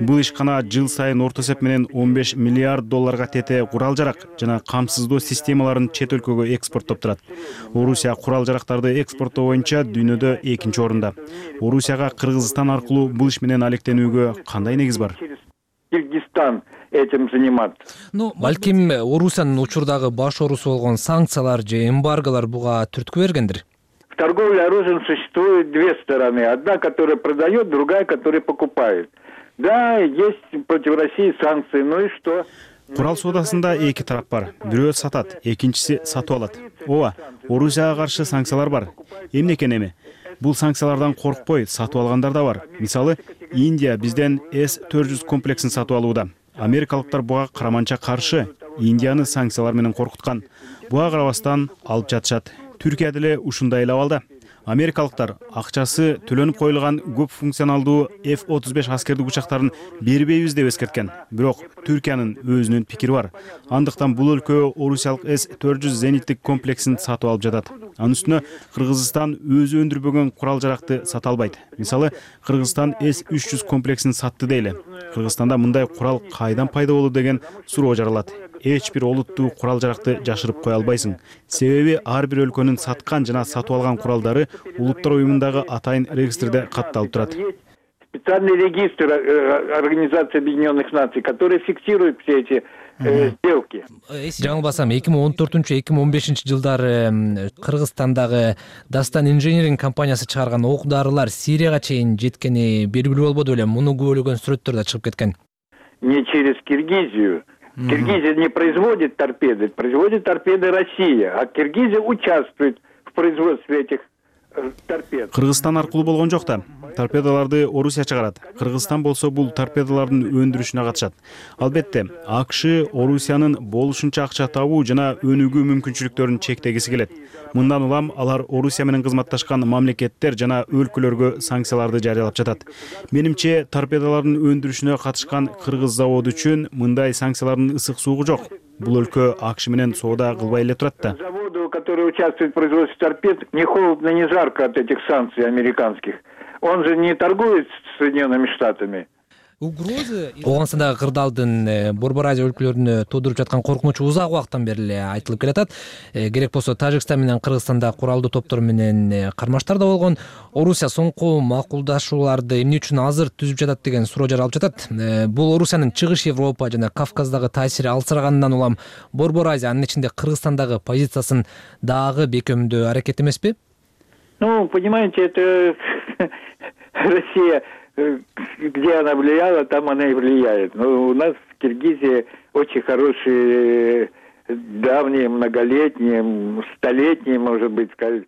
Бул ишкана жыл сайын орто эсеп менен он беш миллиард долларга тете курал жарак жана камсыздоо системаларын чет өлкөгө экспорттоп турат. Орусия курал жарактарды экспорттоо боюнча дүйнөдө экинчи орунда. Орусияга Кыргызстан аркылуу бул иш менен алектенүүгө кандай негиз бар? Киргизстан этим заниматься. Ну, балким Орусиянын учурдагы баш оорусу болгон санкциялар же эмбарголор буга түрткү бергендир. В торговле оружием существует две стороны. Одна, которая продает, другая, которая покупает. Да, есть против России санкции, ну и что? Курал соодасында эки тарап бар. Бирөө сатат, экинчиси сатып алат. Ооба, Орусияга каршы санкциялар бар. Эмне экен эми? Бул санкциялардан коркпой сатып алгандар да бар. Мисалы, Индия бизден эс төрт жүз комплексин сатып алууда. Америкалыктар буга караманча каршы. Индияны санкциялар менен коркуткан. Буга карабастан алып жатышат. Түркия деле ушундай эле абалда. Америкалыктар акчасы төлөнүп коюлган көп функционалдуу эф отуз беш аскердик учактарын бербейбиз деп эскерткен. Бирок Түркиянын өзүнүн пикири бар. Андыктан бул өлкө орусиялык эс төрт жүз зениттик комплексин сатып алып жатат. Анын үстүнө Кыргызстан өзү өндүрбөгөн курал жаракты сата албайт. Мисалы, Кыргызстан эс үч жүз комплексин сатты дейли. Кыргызстанда мындай курал кайдан пайда болду деген суроо жаралат. Эч бир олуттуу курал жаракты жашырып кое албайсың. Себеби ар бир өлкөнүн саткан жана сатып алган куралдары улуттар уюмундагы атайын регистрде катталып турат. Специальный регистр Организации Объединенных Наций, который фиксирует все эти э, сделки. Жаңылбасам, эки миң он төртүнчү эки миң он бешинчи жылдары Кыргызстандагы Дастан инженеринг компаниясы чыгарган ок дарылар Сирияга чейин жеткени белгилүү болбоду беле? Муну күбөлөгөн сүрөттөр да чыгып кеткен. Не через Киргизию. Киргизия не производит торпеды, производит торпеды Россия, а Киргизия участвует в производстве этих торпед. Кыргызстан аркылуу болгон жок да. Торпедаларды Орусия чыгарат. Кыргызстан болсо бул торпедалардын өндүрүшүнө катышат. Албетте, АКШ Орусиянын болушунча акча табуу жана өнүгүү мүмкүнчүлүктөрүн чектегиси келет. Мындан улам алар Орусия менен кызматташкан мамлекеттер жана өлкөлөргө санкцияларды жарыялап жатат. Менимче, торпедалардын өндүрүшүнө катышкан кыргыз заводу үчүн мындай санкциялардын ысык суугу жок. Бул өлкө АКШ менен соода кылбай эле турат да. Заводу, который участвует в производстве торпед, не холодно, не жарко от этих санкций американских. Он же не торгует с Соединенными Штатами. Ооганстандагы кырдаалдын Борбор Азия өлкөлөрүнө туудуруп жаткан коркунучу узак убакыттан бери эле айтылып келатат. Керек болсо Тажикстан менен Кыргызстанда куралдуу топтор менен кармаштар да болгон. Орусия соңку макулдашууларды эмне үчүн азыр түзүп жатат деген суроо жаралып жатат. Бул Орусиянын Чыгыш Европа жана Кавказдагы таасири алсыраганынан улам Борбор Азия, анын ичинде Кыргызстандагы позициясын дагы бекемдөө аракет эмеспи? Ну, понимаете, это Россия, где она влияла, там она и влияет. Но у нас в Киргизии очень хорошие, давние, многолетние, столетние, может быть, сказать.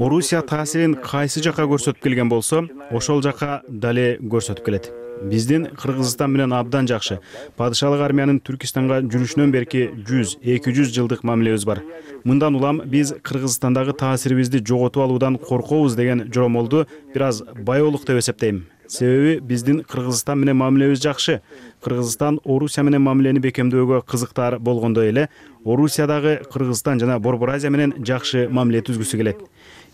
Орусия таасирин кайсы жака көрсөтүп келген болсо, ошол жака дале көрсөтүп келет. Биздин Кыргызстан менен абдан жакшы. Падышалык армиянын Түркистанга жүрүшүнөн берки жүз эки жүз жылдык мамилебиз бар. Мындан улам биз Кыргызстандагы таасирибизди жоготуп алуудан коркобуз деген жоромолду бир аз байоолук деп эсептейм. Себеби биздин Кыргызстан менен мамилебиз жакшы. Кыргызстан Орусия менен мамилени бекемдөөгө кызыктар болгондой эле, Орусиядагы Кыргызстан жана Борбор Азия менен жакшы мамиле түзгүсү келет.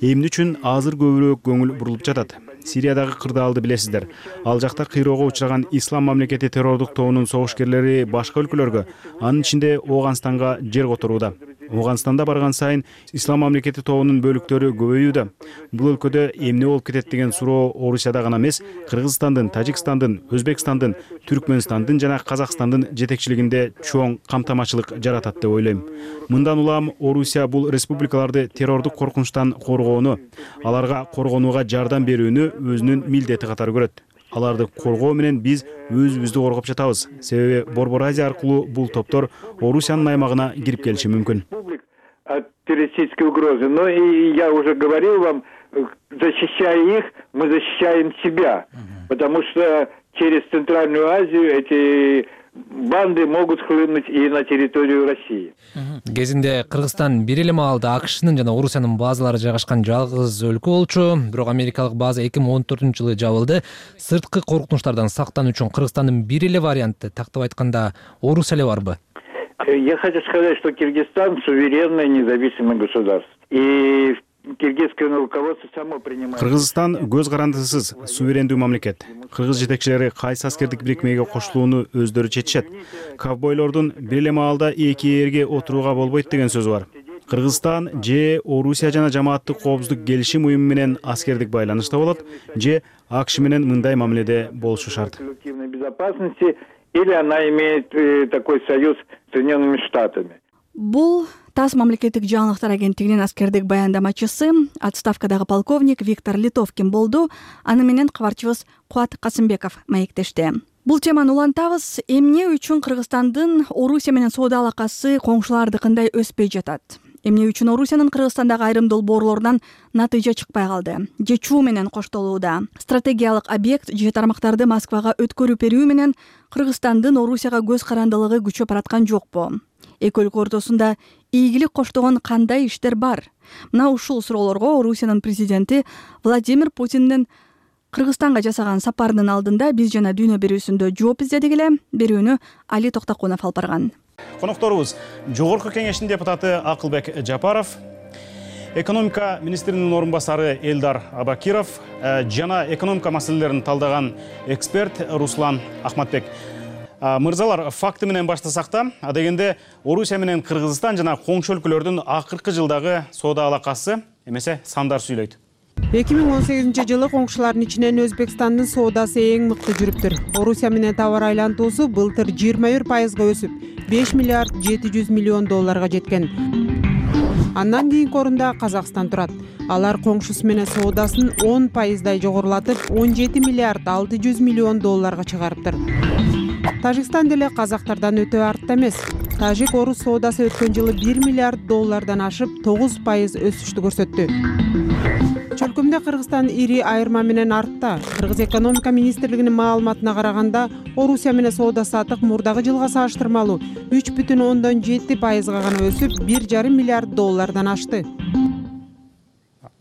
Эмне үчүн азыр көбүрөөк көңүл бурулуп жатат? Сириядагы кырдаалды билесиздер. Ал жакта кыйроого учураган Ислам мамлекети террордук тобунун согушкерлери башка өлкөлөргө, анын ичинде Ооганстанга жер которууда. Ооганстанда барган сайын Ислам мамлекети тобунун бөлүктөрү көбөйүүдө. Бул өлкөдө эмне болуп кетет деген суроо Орусияда гана эмес, Кыргызстандын, Тажикстандын, Өзбекстандын, Түркмөнстандын жана Казакстандын жетекчилигинде чоң камтамачылык жаратат деп ойлойм. Мындан улам Орусия бул республикаларды террордук коркунучтан коргоону, аларга коргонууга жардам берүүнү өзүнүн милдети катары көрөт. Аларды коргоо менен биз өзүбүздү коргоп жатабыз. Себеби Борбор Азия аркылуу бул топтор Орусиянын аймагына кирип келиши мүмкүн. От террористической угрозы. Но и я уже говорил вам, защищая их, мы защищаем себя. Потому что через Центральную Азию эти банды могут хлынуть и на территорию России. Кезинде Кыргызстан бир эле маалда АКШнын жана Орусиянын базалары жайгашкан жалгыз өлкө болчу, бирок америкалык база эки миң он төртүнчү жылы жабылды. Сырткы коркунучтардан сактануу үчүн Кыргызстандын бир эле варианты, тактап айтканда, Орусия эле барбы? Я хочу сказать, что Киргизстан суверенное независимое государство. И киргизское руководство само принимает. Кыргызстан көз карандысыз суверендүү мамлекет. Кыргыз жетекчилери кайсы аскердик бирикмеге кошулууну өздөрү чечишет. Ковбойлордун бир эле маалда эки ээрге отурууга болбойт деген сөз бар. Кыргызстан же Орусия жана жамааттык коопсуздук келишим уюму менен аскердик байланышта болот, же АКШ менен мындай мамиледе болушу шарт. Безопасности или она имеет такой союз с Соединенными Штатами. Бул ТАСС мамлекеттик жаңылыктар агенттигинин аскердик баяндамачысы, отставкадагы полковник Виктор Литовкин болду. Аны менен кабарчыбыз Кубат Касымбеков маектешти. Бул теманы улантабыз. Эмне үчүн Кыргызстандын Орусия менен соода алакасы коңшулардыкындай өспөй жатат? Эмне үчүн Орусиянын Кыргызстандагы айрым долбоорлорунан натыйжа чыкпай калды? Же чуу менен коштолууда? Стратегиялык объект же тармактарды Москвага өткөрүп берүү менен Кыргызстандын Орусияга көз карандылыгы күчөп бараткан жокпу? Эки өлкө ортосунда ийгилик коштогон кандай иштер бар? Мына ушул суроолорго Орусиянын президенти Владимир Путиндин Кыргызстанга жасаган сапарынын алдында биз жана дүйнө берүүсүндө жооп издедик эле. Берүүнү Али Токтокунов алып барган. Конокторубуз Жогорку кеңештин депутаты Акылбек Жапаров, экономика министринин орун басары Элдар Абакиров жана экономика маселелерин талдаган эксперт Руслан Ахматбек. Мырзалар, факты менен баштасак да, адегенде Орусия менен Кыргызстан жана коңшу өлкөлөрдүн акыркы жылдагы соода алакасы эмесе сандар сүйлөйт. эки миң он сегизинчи жылы коңшулардын ичинен Өзбекстандын соодасы эң мыкты жүрүптүр. Орусия менен товар айлантуусу былтыр жыйырма бир пайызга өсүп, беш миллиард жети жүз миллион долларга жеткен. Андан кийинки орунда Казакстан турат. Алар коңшусу менен соодасын он пайыздай жогорулатып, он жети миллиард алты жүз миллион долларга чыгарыптыр. Тажикстан деле казактардан өтө артта эмес. Тажик орус соодасы өткөн жылы бир миллиард доллардан ашып, тогуз пайыз өсүштү көрсөттү. Чөлкөмдө Кыргызстан ири айырма менен артта. Кыргыз экономика министрлигинин маалыматына караганда, Орусия менен соода сатык мурдагы жылга салыштырмалуу үч бүтүн ондон жети пайызга гана өсүп, бир жарым миллиард доллардан ашты.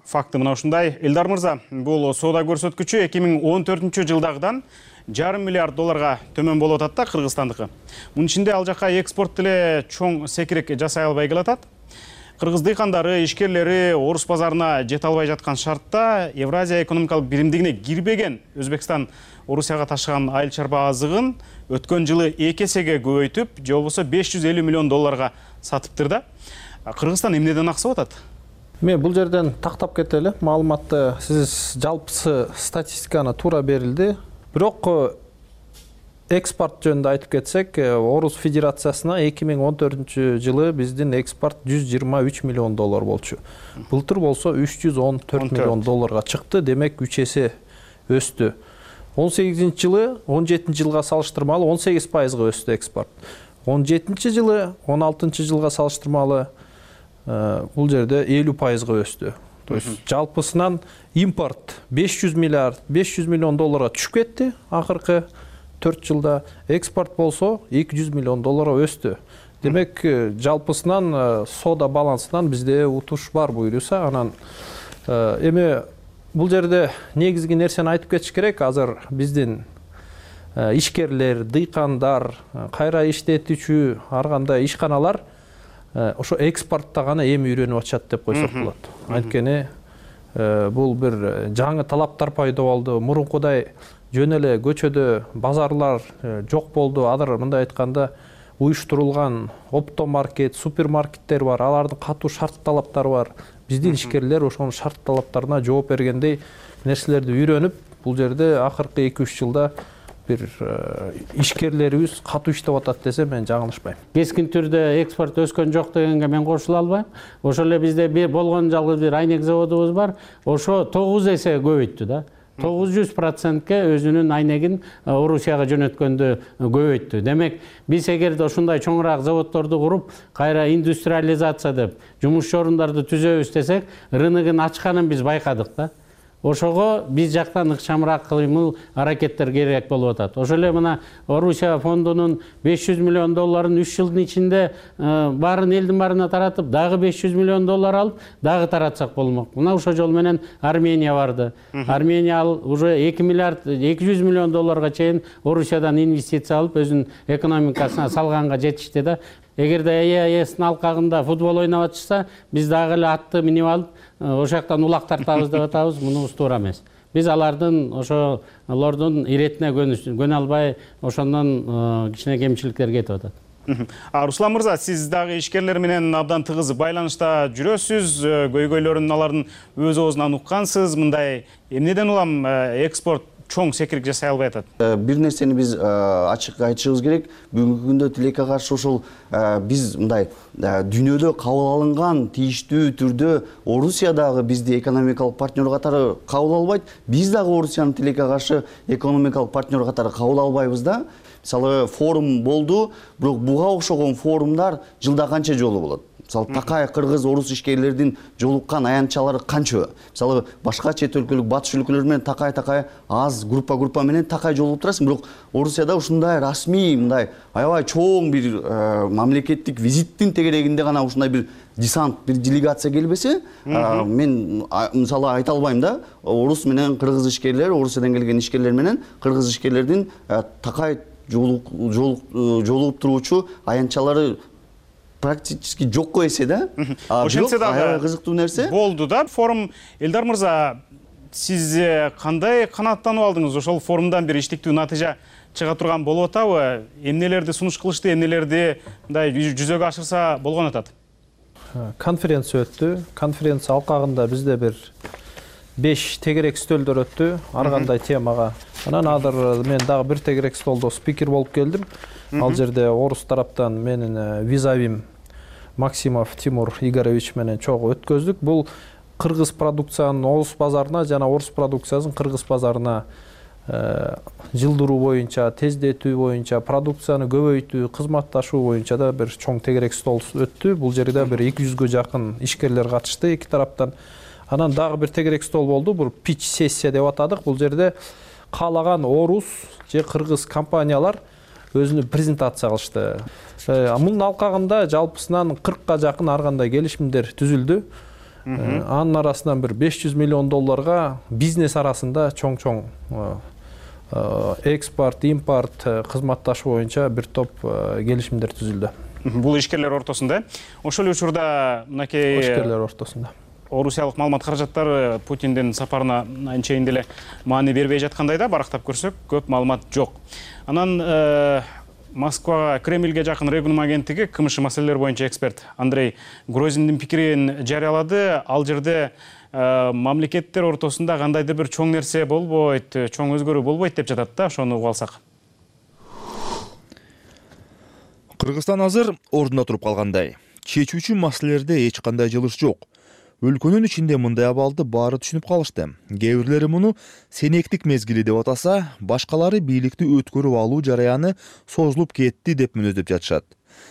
Факты мына ушундай. Элдар мырза, бул соода көрсөткүчү эки миң он төртүнчү жылдагыдан жарым миллиард долларга төмөн болуп атат да Кыргызстандыкы. Мунун ичинде ал жака экспорт деле чоң секирек жасай албай келатат. кыргыз дыйкандары, ишкерлери орус базарына жете албай жаткан шартта Евразия экономикалык биримдигине кирбеген Өзбекстан Орусияга ташыган айыл чарба азыгын өткөн жылы эки эсеге көбөйтүп, же болбосо беш жүз элүү миллион долларга сатыптыр да. Кыргызстан эмнеден аксап атат? Мен бул жерден тактап кетели. Маалыматты сиз жалпысы статистиканы туура берилди. Бирок экспорт жөнүндө айтып кетсек, Орус Федерациясына эки миң он төртүнчү жылы биздин экспорт жүз жыйырма үч миллион доллар болчу. Былтыр болсо үч жүз он төрт миллион долларга чыкты, демек үч эсе өстү. он сегизинчи жылы он жетинчи жылга салыштырмалуу он сегиз пайызга өстү экспорт. он жетинчи жылы он алтынчы жылга салыштырмалуу бул жерде элүү пайызга өстү. То есть жалпысынан импорт беш жүз миллиард беш жүз миллион долларга түшүп кетти акыркы төрт жылда, экспорт болсо эки жүз миллион долларга өстү. Демек жалпысынан соода балансынан бизде утуш бар буюрса, анан эми бул жерде негизги нерсени айтып кетиш керек. Азыр биздин ишкерлер, дыйкандар, кайра иштетүүчү ар кандай ишканалар ошо экспортто гана эми үйрөнүп атышат деп койсок болот. Анткени бул бир жаңы талаптар пайда болду. Мурункудай жөн эле көчөдө базарлар жок болду. Азыр мындай айтканда уюштурулган оптомаркет, супермаркеттер бар. Алардын катуу шарт талаптары бар. Биздин ишкерлер ошонун шарт талаптарына жооп бергендей нерселерди үйрөнүп, бул жерде акыркы эки үч жылда бир ишкерлерибиз катуу иштеп атат десем мен жаңылышпайм. Кескин түрдө экспорт өскөн жок дегенге мен кошула албайм. Ошол эле бизде бир болгон жалгыз бир айнек заводубуз бар. Ошо тогуз эсе көбөйттү да. тогуз жүз процентке өзүнүн айнегин Орусияга жөнөткөндө көбөйттү. Демек, биз эгерде ушундай чоңураак заводдорду куруп, кайра индустриализация деп жумуш орундарды түзөбүз десек, рыногун ачканын биз байкадык да. Ошого биз жактан ыкчамыраак кыймыл аракеттер керек болуп атат. Ошол эле мына Орусия фондунун беш жүз миллион долларын үч жылдын ичинде баарын элдин баарына таратып, дагы беш жүз миллион доллар алып, дагы таратсак болмок. Мына ошол жол менен Армения барды. Армения ал уже эки миллиард эки жүз миллион долларга чейин Орусиядан инвестиция алып, өзүнүн экономикасына салганга жетишти да. Эгерде ЕАЭстин алкагында футбол ойноп атышса, биз дагы эле атты минип алып, ошол жактан улак тартабыз деп атабыз, мунубуз туура эмес. Биз алардын ошолордун иретине көнө албай, ошондон кичине кемчиликтер кетип атат. Руслан мырза, сиз дагы ишкерлер менен абдан тыгыз байланышта жүрөсүз, көйгөйлөрүн алардын өз оозунан уккансыз. Мындай эмнеден улам экспорт чоң секирик жасай албай атат? Бир нерсени биз ачык айтышыбыз керек. Бүгүнкү күндө тилекке каршы ошол биз мындай дүйнөдө кабыл алынган тийиштүү түрдө Орусиядагы бизди экономикалык партнер катары кабыл албайт. Биз дагы Орусияны тилекке каршы экономикалык партнер катары кабыл албайбыз да. Мисалы форум болду, бирок буга окшогон форумдар жылда канча жолу болот? Мисалы такай кыргыз орус ишкерлердин жолуккан аянтчалары канча? Мисалы башка чет өлкөлүк батыш өлкөлөр менен такай-такай аз группа группа менен такай жолугуп турасың, бирок Орусияда ушундай расмий, мындай аябай чоң бир мамлекеттик визиттин тегерегинде гана ушундай бир десант, бир делегация келбесе, мен мисалы айта албайм да. Орус менен кыргыз ишкерлер, Орусиядан келген ишкерлер менен кыргыз ишкерлердин такай жолугуп туруучу аянтчалары практически жокко эсе да. Ошентсе дагы кызыктуу нерсе болду да. Форум Элдар мырза, сиз кандай канааттанып алдыңыз? Ошол форумдан бир иштиктүү натыйжа чыга турган болуп атабы? Эмнелерди сунуш кылышты, эмнелерди мындай жүзөгө ашырса болгон атат? Конференция өттү. Конференция алкагында бизде бир беш тегерек стөлдөр өттү, ар кандай темага. Анан азыр мен дагы бир тегерек столдо спикер болуп келдим. Ал жерде орус тараптан менин визавим Максимов Тимур Игоревич менен чогуу өткөздүк. Бул кыргыз продукциянын орус базарына жана орус продукциясын кыргыз базарына жылдыруу боюнча, тездетүү боюнча, продукцияны көбөйтүү, кызматташуу боюнча да бир чоң тегерек стол өттү. Бул жерде бир эки жүзгө жакын ишкерлер катышты эки тараптан. Анан дагы бир тегерек стол болду. Бул pitch сессия деп атадык. Бул жерде каалаган орус же кыргыз компаниялар өзүнү презентация кылышты. Мунун алкагында жалпысынан кыркка жакын ар кандай келишимдер түзүлдү. Анын арасынан бир беш жүз миллион долларга бизнес арасында чоң-чоң экспорт, импорт, кызматташуу боюнча бир топ келишимдер түзүлдү. бул ишкерлер ортосунда. Ошол эле учурда мынакей ишкерлер ортосунда орусиялык маалымат каражаттары Путиндин сапарына анчейин деле маани бербей жаткандай да, барактап көрсөк көп маалымат жок. Анан Москвага, Кремльге жакын Регнум агенттиги КМШ маселелер боюнча эксперт Андрей Грозиндин пикирин жарыялады. Ал жерде мамлекеттер ортосунда кандайдыр бир чоң нерсе болбойт, чоң өзгөрүү болбойт деп жатат да, ошону угуп алсак. Кыргызстан азыр ордунда туруп калгандай. Чечүүчү маселелерде эч кандай жылыш жок. Өлкөнүн ичинде мындай абалды баары түшүнүп калышты. Кээ бирлери муну сенектик мезгили деп атаса, башкалары бийликти өткөрүп алуу жараяны созулуп кетти деп мүнөздөп жатышат.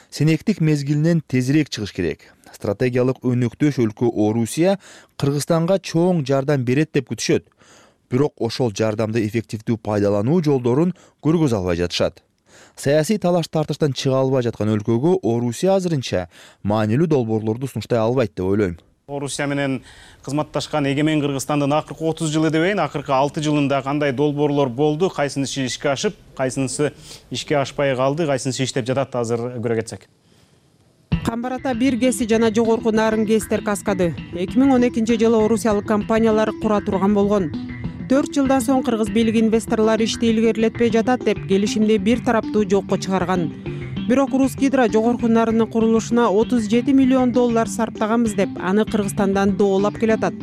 Сенектик мезгилинен тезирээк чыгыш керек. Стратегиялык өнөктөш өлкө Орусия Кыргызстанга чоң жардам берет деп күтүшөт. Бирок ошол жардамды эффективдүү пайдалануу жолдорун көргөзө албай жатышат. Саясий талаш-тартыштан чыга албай жаткан өлкөгө Орусия азырынча маанилүү долбоорлорду сунуштай албайт деп ойлойм. Орусия менен кызматташкан эгемен Кыргызстандын акыркы отуз жылы дебейин, акыркы алты жылында кандай долбоорлор болду, кайсынысы ишке ашып, кайсынысы ишке ашпай калды, кайсынысы иштеп жатат азыр көрө кетсек. Камбарата бир кеси жана жогорку нарын кеситер каскады. эки миң он экинчи жылы орусиялык компаниялар кура турган болгон. төрт жылдан соң кыргыз бийлиги инвесторлор ишти илгерилетпей жатат деп келишимди бир тараптуу жокко чыгарган. Бирок Русгидро жогорку нарынын курулушуна отуз жети миллион доллар сарптаганбыз деп аны Кыргызстандан доолап келатат.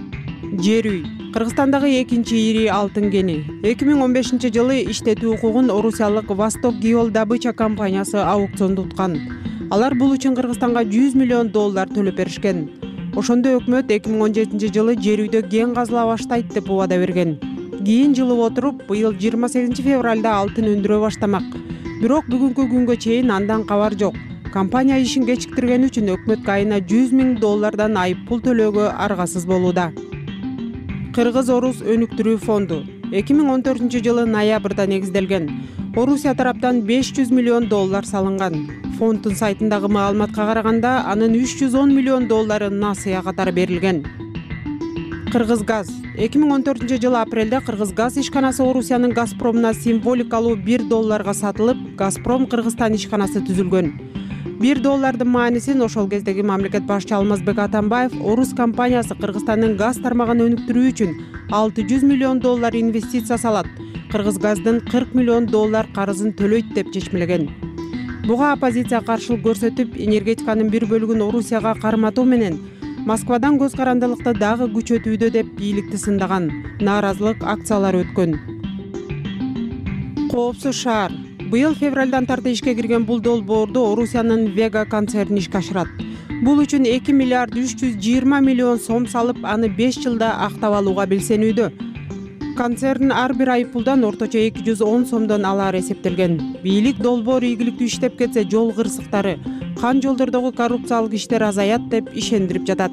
Жер үй Кыргызстандагы экинчи ири алтын кени. эки миң он бешинчи жылы иштетүү укугун орусиялык Восток Геол Добыча компаниясы аукционду уткан. Алар бул үчүн Кыргызстанга жүз миллион доллар төлөп беришкен. Ошондо өкмөт эки миң он жетинчи жылы жер үйдө кен казыла баштайт деп убада берген. Кийин жылып отуруп, быйыл жыйырма сегизинчи февралда алтын өндүрө баштамак. Бирок бүгүнкү күнгө чейин андан кабар жок. Компания ишин кечиктиргени үчүн өкмөткө айына жүз миң доллардан айып пул төлөөгө аргасыз болууда. Кыргыз-Орус өнүктүрүү фонду эки миң он төртүнчү жылы ноябрда негизделген. Орусия тараптан беш жүз миллион доллар салынган. Фонддун сайтындагы маалыматка караганда, анын үч жүз он миллион доллары насыя катары берилген. Кыргызгаз эки миң он төртүнчү жылы апрелде Кыргызгаз ишканасы Орусиянын Газпромуна символикалуу бир долларга сатылып, Газпром Кыргызстан ишканасы түзүлгөн. бир доллардын маанисин ошол кездеги мамлекет башчы Алмазбек Атамбаев орус компаниясы Кыргызстандын газ тармагын өнүктүрүү үчүн алты жүз миллион доллар инвестиция салат, Кыргызгаздын кырк миллион доллар карызын төлөйт деп чечмелеген. Буга оппозиция каршылык көрсөтүп, энергетиканын бир бөлүгүн Орусияга карматуу менен Москвадан көз карандылыкты дагы күчөтүүдө деп бийликти сындаган. Нааразылык акциялары өткөн. Коопсуз шаар быйыл февралдан тарты ишке кирген бул долбоорду Орусиянын Вега концерни ишке ашырат. Бул үчүн эки миллиард үч жүз жыйырма миллион сом салып, аны беш жылда актап алууга белсенүүдө. Концерн ар бир айыппулдан орточо эки жүз он сомдон алары эсептелген. Бийлик долбоор ийгиликтүү иштеп кетсе, жол кырсыктары, кан жолдордогу коррупциялык иштер азаят деп ишендирип жатат.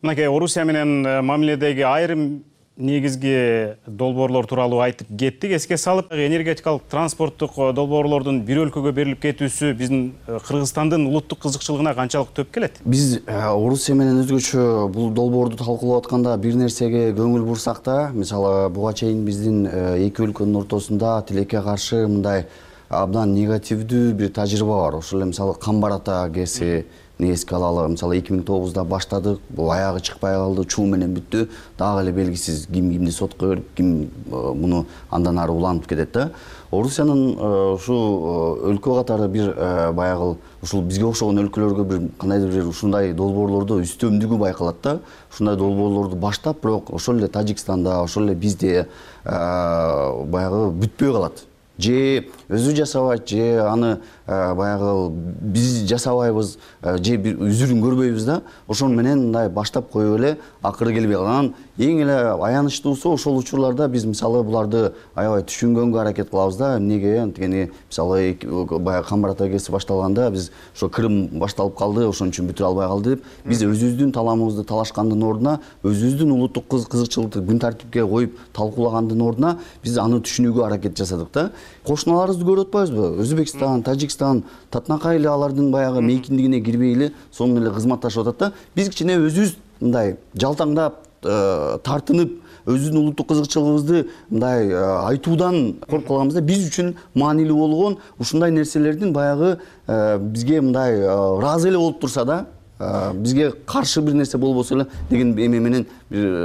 Мынакей Орусия менен мамиледеги айрым негизги долбоорлор тууралуу айтып кеттик. Эске салып, энергетикалык транспорттук долбоорлордун бир өлкөгө берилип кетүүсү биздин Кыргызстандын улуттук кызыкчылыгына канчалык төп келет? Биз Орусия менен өзгөчө бул долбоорду талкуулап атканда бир нерсеге көңүл бурсак да, мисалы буга чейин биздин эки өлкөнүн ортосунда тилекке каршы мындай абдан негативдүү бир тажрыйба бар. Ошол эле мисалы Камбарата гэси эске алалы, мисалы эки миң тогузда баштадык, бул аягы чыкпай калды, чуу менен бүттү. Дагы эле белгисиз ким кимди сотко берип, ким муну андан ары уланып кетет да. Орусиянын ушу өлкө катары бир баягы ушул бизге окшогон өлкөлөргө бир кандайдыр бир ушундай долбоорлордо үстөмдүгү байкалат да. Ушундай долбоорлорду баштап, бирок ошол эле Тажикстанда, ошол эле бизде баягы бүтпөй калат. Же өзү жасабайт, же аны баягы биз жасабайбыз, же бир үзүрүн көрбөйбүз да. Ошон менен мындай баштап коюп эле акыры келбей калган. Эң эле аянычтуусу ошол учурларда биз мисалы буларды аябай түшүнгөнгө аракет кылабыз да. Эмнеге анткени мисалы баягы Камбарата кеси башталганда биз ошо Крым башталып калды, ошон үчүн бүтүрө албай калды деп биз өзүбүздүн таламыбызды талашкандын ордуна, өзүбүздүн улуттук кызыкчылыкты күн тартипке коюп талкуулагандын ордуна биз аны түшүнүүгө аракет жасадык да. Кошуналарыбызды көрүп атпайбызбы? Өзбекстан, Тажикстан, Татнакай эле алардын баягы мейкиндигине кирбей эле сонун эле кызматташып атат да. Биз кичине өзүбүз мындай жалтаңдап, тартынып, өзүбүздүн улуттук кызыкчылыгыбызды мындай айтуудан коркуп калганбыз да. Биз үчүн маанилүү болгон ушундай нерселердин баягы бизге мындай ыраазы эле болуп турса да, бизге каршы бир нерсе болбосо эле деген эме менен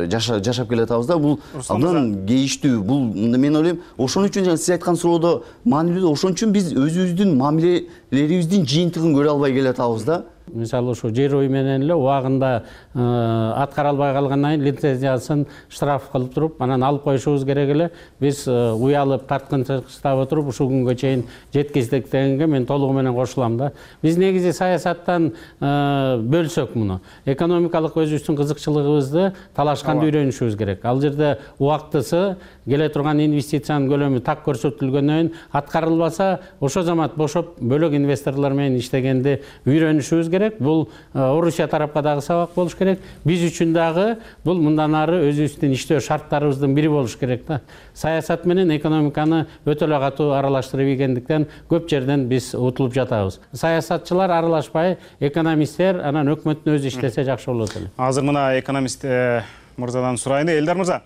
жашап келатабыз да. Бул абдан кейиштүү. Бул мен ойлойм, ошон үчүн жана сиз айткан суроодо маанилүү, ошон үчүн биз өзүбүздүн мамилелерибиздин жыйынтыгын көрө албай келатабыз да. Мисалы ушу жер үй менен эле убагында аткара албай калгандан кийин лицензиясын штраф кылып туруп, анан алып коюшубуз керек эле. Биз уялып, тарткынчылыктап отуруп ушул күнгө чейин жеткиздик дегенге мен толугу менен кошулам да. Биз негизи саясаттан бөлсөк муну, экономикалык өзүбүздүн кызыкчылыгыбызды талашканды үйрөнүшүбүз керек. Ал жерде убактысы, келе турган инвестициянын көлөмү так көрсөтүлгөндөн кийин аткарылбаса, ошо замат бошоп бөлөк инвесторлор менен иштегенди үйрөнүшүбүз керек. Бул Орусия тарапка дагы сабак болуш керек. Биз үчүн дагы бул мындан ары өзүбүздүн иштөө шарттарыбыздын бири болуш керек да. Саясат менен экономиканы өтө эле катуу аралаштырып ийгендиктен көп жерден биз утулуп жатабыз. Саясатчылар аралашпай, экономисттер, анан өкмөттүн өзү иштесе жакшы болот эле. Азыр мына экономист мырзадан сурайын. Элдар мырза,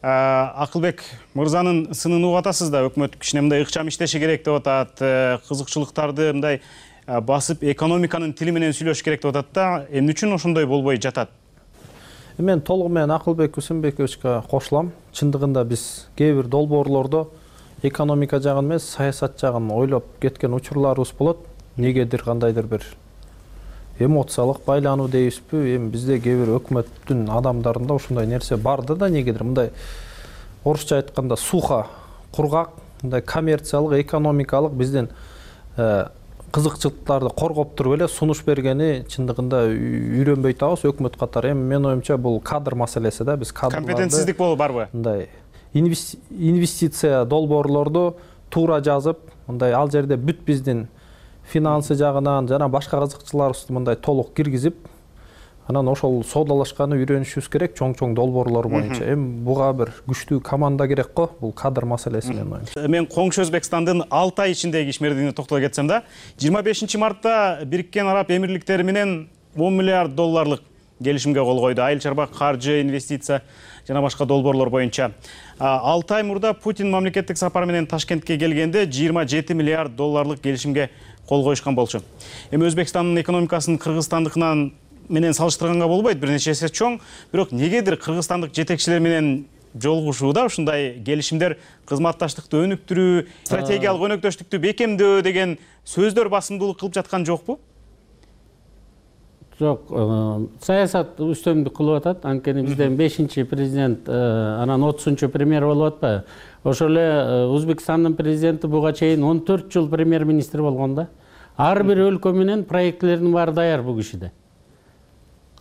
Акылбек мырзанын сынын угуп атасыз да, өкмөт кичине мындай ыкчам иштеши керек деп атат, кызыкчылыктарды мындай басып экономиканын тили менен сүйлөш керек деп атат да. Эмне үчүн ошондой болбой жатат? Мен толугу менен Акылбек Усенбековичке кошулам. Чындыгында биз кээ бир долбоорлордо экономика жагын эмес, саясат жагын ойлоп кеткен учурларыбыз болот. Негедир кандайдыр бир эмоциялык байлануу дейбизби, эми бизде кээ бир өкмөттүн адамдарында ошондой нерсе барды да, негедир мындай орусча айтканда сухо, кургак, мындай коммерциялык, экономикалык биздин кызыкчылыктарды коргоп туруп эле сунуш бергени чындыгында үйрөнбөй атабыз өкмөт катары. Эми менин оюмча бул кадр маселеси да. Биз кадрларды компетентсиздик болуп барбы? Мындай инвестиция долбоорлорду туура жазып, мындай ал жерде бүт биздин финансы жагынан жана башка кызыкчылыктарыбызды мындай толук киргизип, анан ошол соодалашканы үйрөнүшүбүз керек чоң-чоң долбоорлор боюнча. Эми буга бир күчтүү команда керек го, бул кадр маселеси менен оюмча. Мен коңшу Өзбекстандын Алтай ичиндеги ишмердигине токтоло кетсем да, жыйырма бешинчи мартта Бириккен Араб Эмирликтери менен он миллиард долларлык келишимге кол койду. Айыл чарба, каржы, инвестиция жана башка долбоорлор боюнча. алты ай мурда Путин мамлекеттик сапар менен Ташкентке келгенде жыйырма жети миллиард долларлык келишимге кол коюшкан болчу. Эми Өзбекстандын экономикасын Кыргызстандыкынан менен салыштырганга болбойт, бир нече эсе чоң. Бирок негедир кыргызстандык жетекчилер менен жолугушууда ушундай келишимдер кызматташтыкты өнүктүрүү, стратегиялык өнөктөштүктү бекемдөө деген сөздөр басымдуулук кылып жаткан жокпу? Жок, саясат үстөмдүк кылып атат. Анткени бизден бешинчи президент, анан отузунчу премьер болуп атпайбы? Ошол эле Өзбекстандын президенти буга чейин он төрт жыл премьер-министр болгон да. Ар бир өлкө менен проектлердин баары даяр бул кишиде.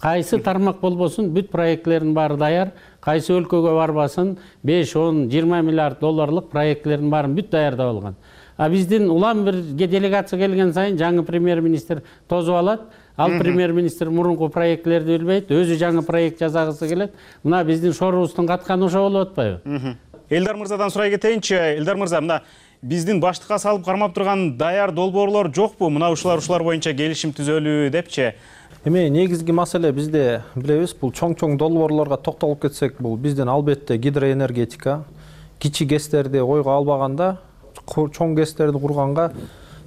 Кайсы тармак болбосун, бүт проектлердин баары даяр. Кайсы өлкөгө барбасын, беш, он, жыйырма миллиард долларлык проектлердин баарын бүт даярдап алган. А биздин улам бир делегация келген сайын жаңы премьер-министр тозуп алат. Ал премьер-министр мурунку проектлерди билбейт, өзү жаңы проект жасагысы келет. Мына биздин шорубуздун катканы ошо болуп атпайбы? Элдар мырзадан сурай кетейинчи. Элдар мырза, мына биздин баштыкка салып кармап турган даяр долбоорлор жокпу? Мына ушулар ушулар боюнча келишим түзөлүү депчи. Эми негизги маселе бизде билебиз, бул чоң-чоң долбоорлорго токтолуп кетсек, бул биздин албетте гидроэнергетика, кичи гэстерди ойго албаганда, чоң гэстерди курганга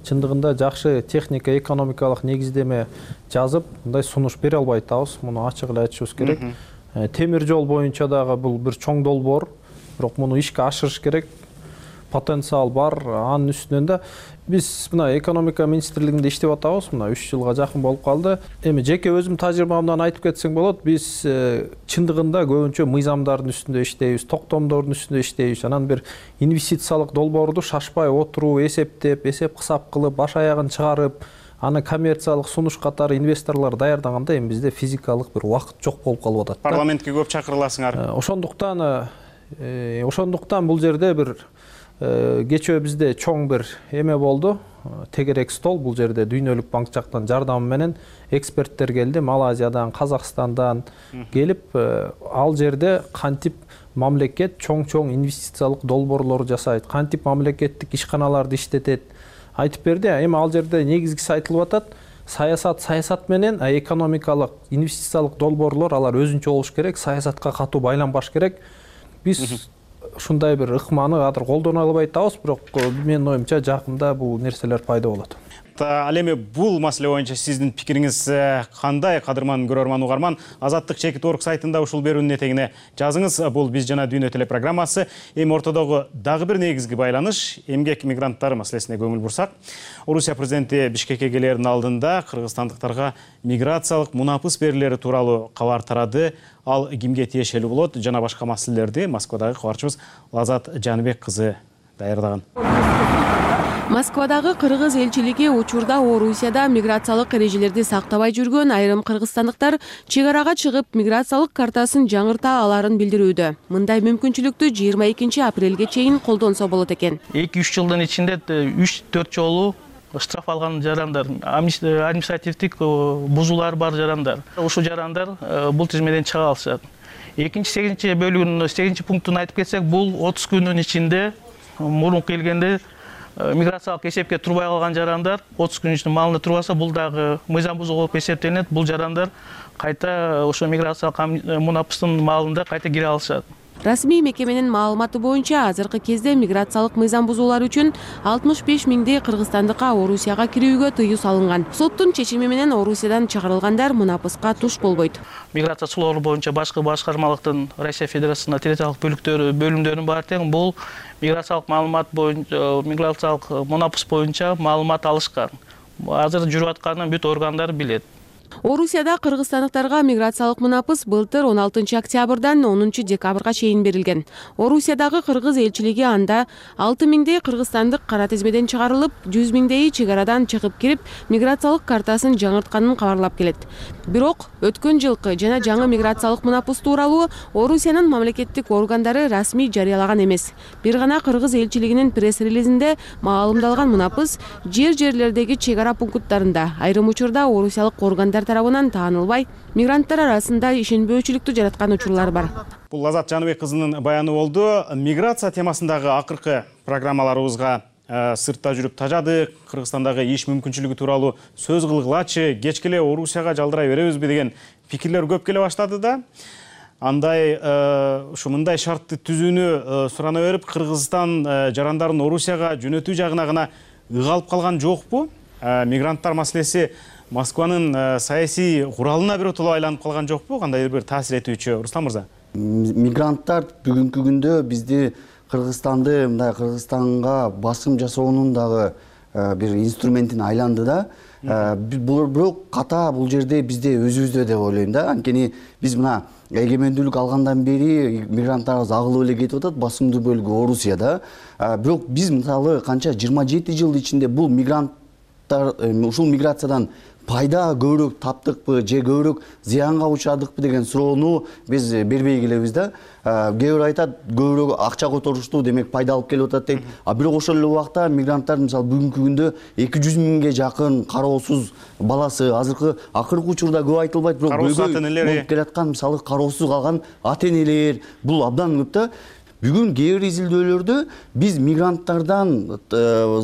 чындыгында жакшы техника, экономикалык негиздеме жазып, мындай сунуш бере албай атабыз. Муну ачык эле айтышыбыз керек. Темир жол боюнча дагы бул бир чоң долбоор, бирок муну ишке ашырыш керек. Потенциал бар, анын үстүнөн да биз мына экономика министрлигинде иштеп атабыз. Мына үч жылга жакын болуп калды. Эми жеке өзүм тажрыйбамдан айтып кетсең болот, биз чындыгында көбүнчө мыйзамдардын үстүндө иштейбиз, токтомдордун үстүндө иштейбиз. Анан бир инвестициялык долбоорду шашпай отуруп, эсептеп, эсеп-кысап кылып, баш аягын чыгарып, аны коммерциялык сунуш катары инвесторлор даярдаганда эми бизде физикалык бир убакыт жок болуп калып атат. Парламентке көп чакырыласыңар. Ошондуктан ошондуктан бул жерде бир кечөө бизде чоң бир эме болду. Тегерек стол, бул жерде Дүйнөлүк банк жактан жардамы менен эксперттер келди, Малайзиядан, Казакстандан келип, ал жерде кантип мамлекет чоң-чоң инвестициялык долбоорлор жасайт, кантип мамлекеттик ишканаларды иштетет айтып берди. Эми ал жерде негизгиси айтылып атат. Саясат саясат менен, а экономикалык, инвестициялык долбоорлор алар өзүнчө болуш керек, саясатка катуу байланбаш керек. биз ушундай бир ыкманы азыр колдоно албай атабыз, бирок менин оюмча жакында бул нерселер пайда болот. Ал эми бул маселе боюнча сиздин пикириңиз кандай, кадырман көрөрман угарман? Азаттык чекит орг сайтында ушул берүүнүн этегине жазыңыз. Бул Биз жана дүйнө телепрограммасы. Эми ортодогу дагы бир негизги байланыш эмгек мигранттары маселесине көңүл бурсак. Орусия президенти Бишкекке келердин алдында кыргызстандыктарга миграциялык мунапыс берилери тууралуу кабар тарады. Ал кимге тиешелүү болот жана башка маселелерди Москвадагы кабарчыбыз Лазат Жаныбек кызы даярдаган. Москвадагы кыргыз элчилиги учурда Орусияда миграциялык эрежелерди сактабай жүргөн айрым кыргызстандыктар чек арага чыгып миграциялык картасын жаңырта аларын билдирүүдө. Мындай мүмкүнчүлүктү жыйырма экинчи апрелге чейин колдонсо болот экен. эки үч жылдын ичинде үч төрт жолу штраф алган жарандар, административдик бузуулар бар жарандар. Ушул жарандар бул тизмеден чыга алышат. Экинчи сегизинчи бөлүгүнүн сегизинчи пунктун айтып кетсек, бул отуз күндүн ичинде мурун келгенде миграциялык эсепке турбай калган жарандар отуз күн ичинде малында турбаса, бул дагы мыйзам бузуу болуп эсептелет. Бул жарандар кайта ошо миграциялык мунапыстын малында кайта кире алышат. Расмий мекеменин маалыматы боюнча азыркы кезде миграциялык мыйзам бузуулар үчүн алтымыш беш миңдей кыргызстандыкка Орусияга кирүүгө тыюу салынган. Соттун чечими менен Орусиядан чыгарылгандар мунапыска туш болбойт. Миграция суроолору боюнча башкы башкармалыктын Россия Федерациясынын территориялык бөлүктөрү бөлүмдөрүнүн баары тең бул миграциялык маалымат боюнча, миграциялык мунапыс боюнча маалымат алышкан. Азыр жүрүп атканын бүт органдар билет. Орусияда кыргызстандыктарга миграциялык мунапыс былтыр он алтынчы октябрдан онунчу декабрга чейин берилген. Орусиядагы кыргыз элчилиги анда алты миңдей кыргызстандык кара тизмеден чыгарылып, жүз миңдейи чек арадан чыгып кирип, миграциялык картасын жаңыртканын кабарлап келет. Бирок өткөн жылкы жана жаңы миграциялык мунапыс тууралуу Орусиянын мамлекеттик органдары расмий жарыялаган эмес. Бир гана кыргыз элчилигинин пресс-релизинде маалымдалган мунапыс жер-жерлердеги чек ара пункттарында айрым учурда орусиялык органдар тарабынан таанылбай, мигранттар арасында ишенбөөчүлүктү жараткан учурлар бар. Бул Лазат Жаныбек кызынын баяны болду. Миграция темасындагы акыркы программаларыбызга сыртта жүрүп тажадык, Кыргызстандагы иш мүмкүнчүлүгү тууралуу сөз кылгылачы, кечке эле Орусияга жалдырай беребизби деген пикирлер көп келе баштады да. Андай ушу мындай шартты түзүүнү сурана берип, Кыргызстан жарандарын Орусияга жөнөтүү жагына гана ыгалып калган жокпу? Мигранттар маселеси Москванын саясий куралына биротоло айланып калган жокпу? Кандай бир таасир этүүчү Руслан мырза? Мигранттар бүгүнкү күндө бизди Кыргызстанды, мындай Кыргызстанга басым жасоонун дагы бир инструментин айланды да. Бирок ката бул жерде бизде өзүбүздө деп ойлойм да. Анткени биз мына эгемендүүлүк алгандан бери мигранттарыбыз агылып эле кетип атат, басымдуу бөлүгү Орусияда. Бирок биз мисалы канча жыйырма жети жыл ичинде бул мигранттар ушул миграциядан пайда көбүрөөк таптыкпы же көбүрөөк зыянга учрадыкпы деген суроону биз бербей келебиз да. Кээ бир айтат көбүрөөк акча которушту, демек пайда алып келип атат дейт. А бирок ошол эле убакта мигранттар мисалы бүгүнкү күндө эки жүз миңге жакын кароосуз баласы, азыркы акыркы учурда көп айтылбайт, бирок көйгөй болуп келаткан мисалы кароосуз калган ата энелер, бул абдан көп да. Бүгүн кээ бир изилдөөлөрдө биз мигранттардан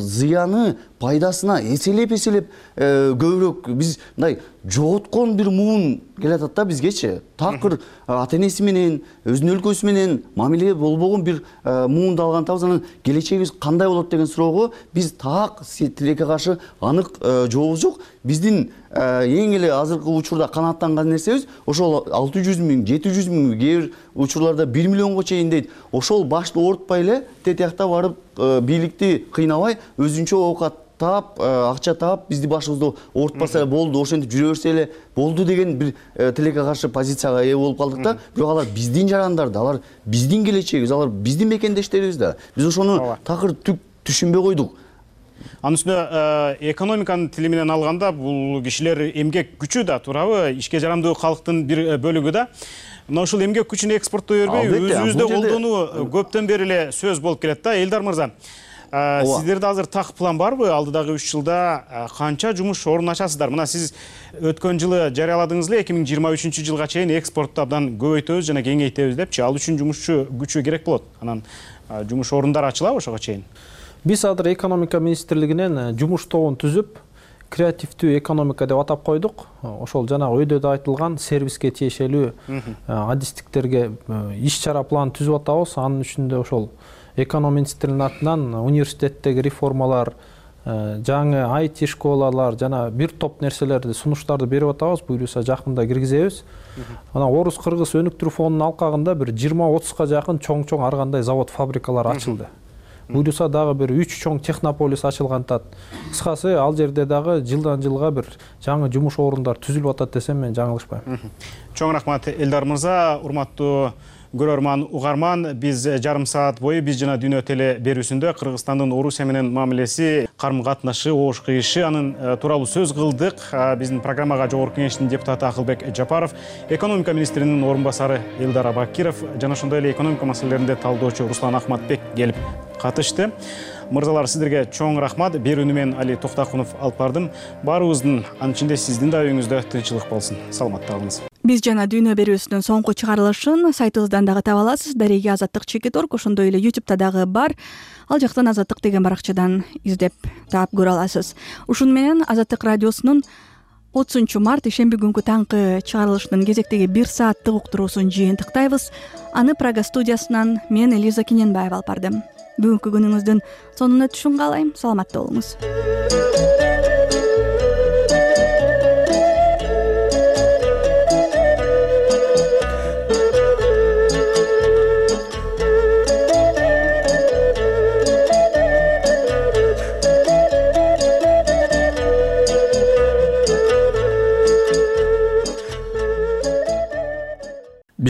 зыяны пайдасына эселеп-эселеп көбүрөөк биз мындай жоготкон бир муун келатат да бизгечи. Такыр ата энеси менен, өзүнүн өлкөсү менен мамиле болбогон бир муунду алган атабыз. Анан келечегибиз кандай болот деген суроого биз так тилекке каршы анык жообубуз жок. Биздин эң эле азыркы учурда канааттанган нерсебиз ошол алты жүз миң, жети жүз миң, кээ бир учурларда бир миллионго чейин дейт. Ошол башты оорутпай эле тетиякта барып бийликти кыйнабай өзүнчө оокат таап, акча таап, бизди башыбызды оорутпаса эле болду, ошентип жүрө берсе эле болду деген бир тилекке каршы позицияга ээ болуп калдык да. Бирок алар биздин жарандар да, алар биздин келечегибиз, алар биздин мекендештерибиз да. Биз ошону такыр түк түшүнбөй койдук. Анын үстүнө экономиканын тили менен алганда бул кишилер эмгек күчү да, туурабы? Ишке жарамдуу калктын бир бөлүгү да. Мына ушул эмгек күчүн экспорттой бербей, өзүбүздө колдонуу көптөн бери эле сөз болуп келет да. Элдар мырза, сиздерде азыр так план барбы? Алдыдагы үч жылда канча жумуш орун ачасыздар? Мына сиз өткөн жылы жарыяладыңыз эле, эки миң жыйырма үчүнчү жылга чейин экспортту абдан көбөйтөбүз жана кеңейтебиз депчи. Ал үчүн жумушчу күчү керек болот. Анан жумуш орундар ачылабы ошого чейин? Биз азыр экономика министрлигинен жумуш тобун түзүп, креативдүү экономика деп атап койдук. Ошол жанагы өйдөдө айтылган сервиске тиешелүү адистиктерге иш чара план түзүп атабыз. Анын үчүндө ошол эконом министринин атынан университеттеги реформалар, жаңы ай ти школалар жана бир топ нерселерди, сунуштарды берип атабыз. Буюрса жакында киргизебиз. Анан Орус Кыргыз өнүктүрүү фондунун алкагында бир жыйырма отузга жакын чоң-чоң ар кандай завод, фабрикалар ачылды. Буюрса дагы бир үч чоң технополис ачылгантат. Кыскасы, ал жерде дагы жылдан жылга бир жаңы жумуш орундар түзүлүп атат десем мен жаңылышпайм. Чоң рахмат Элдар мырза. Урматтуу көрөрман, угарман, биз жарым саат бою биз жана Дүйнө теле берүүсүндө Кыргызстандын Орусия менен мамилеси, карым катнашы, обуш кыйышы анын тууралуу сөз кылдык. Биздин программага Жогорку Кеңештин депутаты Акылбек Жапаров, экономика министринин орун басары Элдар Абакиров жана ошондой эле экономика маселелеринде талдоочу Руслан Ахматбек келип катышты. Мырзалар, сиздерге чоң рахмат. Берүүнү мен Али Токтакунов алып бардым. Баарыбыздын, анын ичинде сиздин да үйүңүздө тынччылык болсун. Саламатта калыңыз. Биз жана Дүйнө берүүсүнүн соңку чыгарылышын сайтыбыздан дагы таба аласыз. Дареги Азаттык чекит точка орг, ошондой эле ютубта дагы бар. Ал жактан Азаттык деген баракчадан издеп таап көрө аласыз. Ушуну менен Азаттык радиосунун отузунчу март ишемби күнкү таңкы чыгарылышынын кезектеги бир сааттык уктуруусун жыйынтыктайбыз. Аны Прага студиясынан мен Элиза Кененбаева алып бардым. Бүгүнкү күнүңүздүн сонуна түшүн каалайм. Саламатта болуңуз.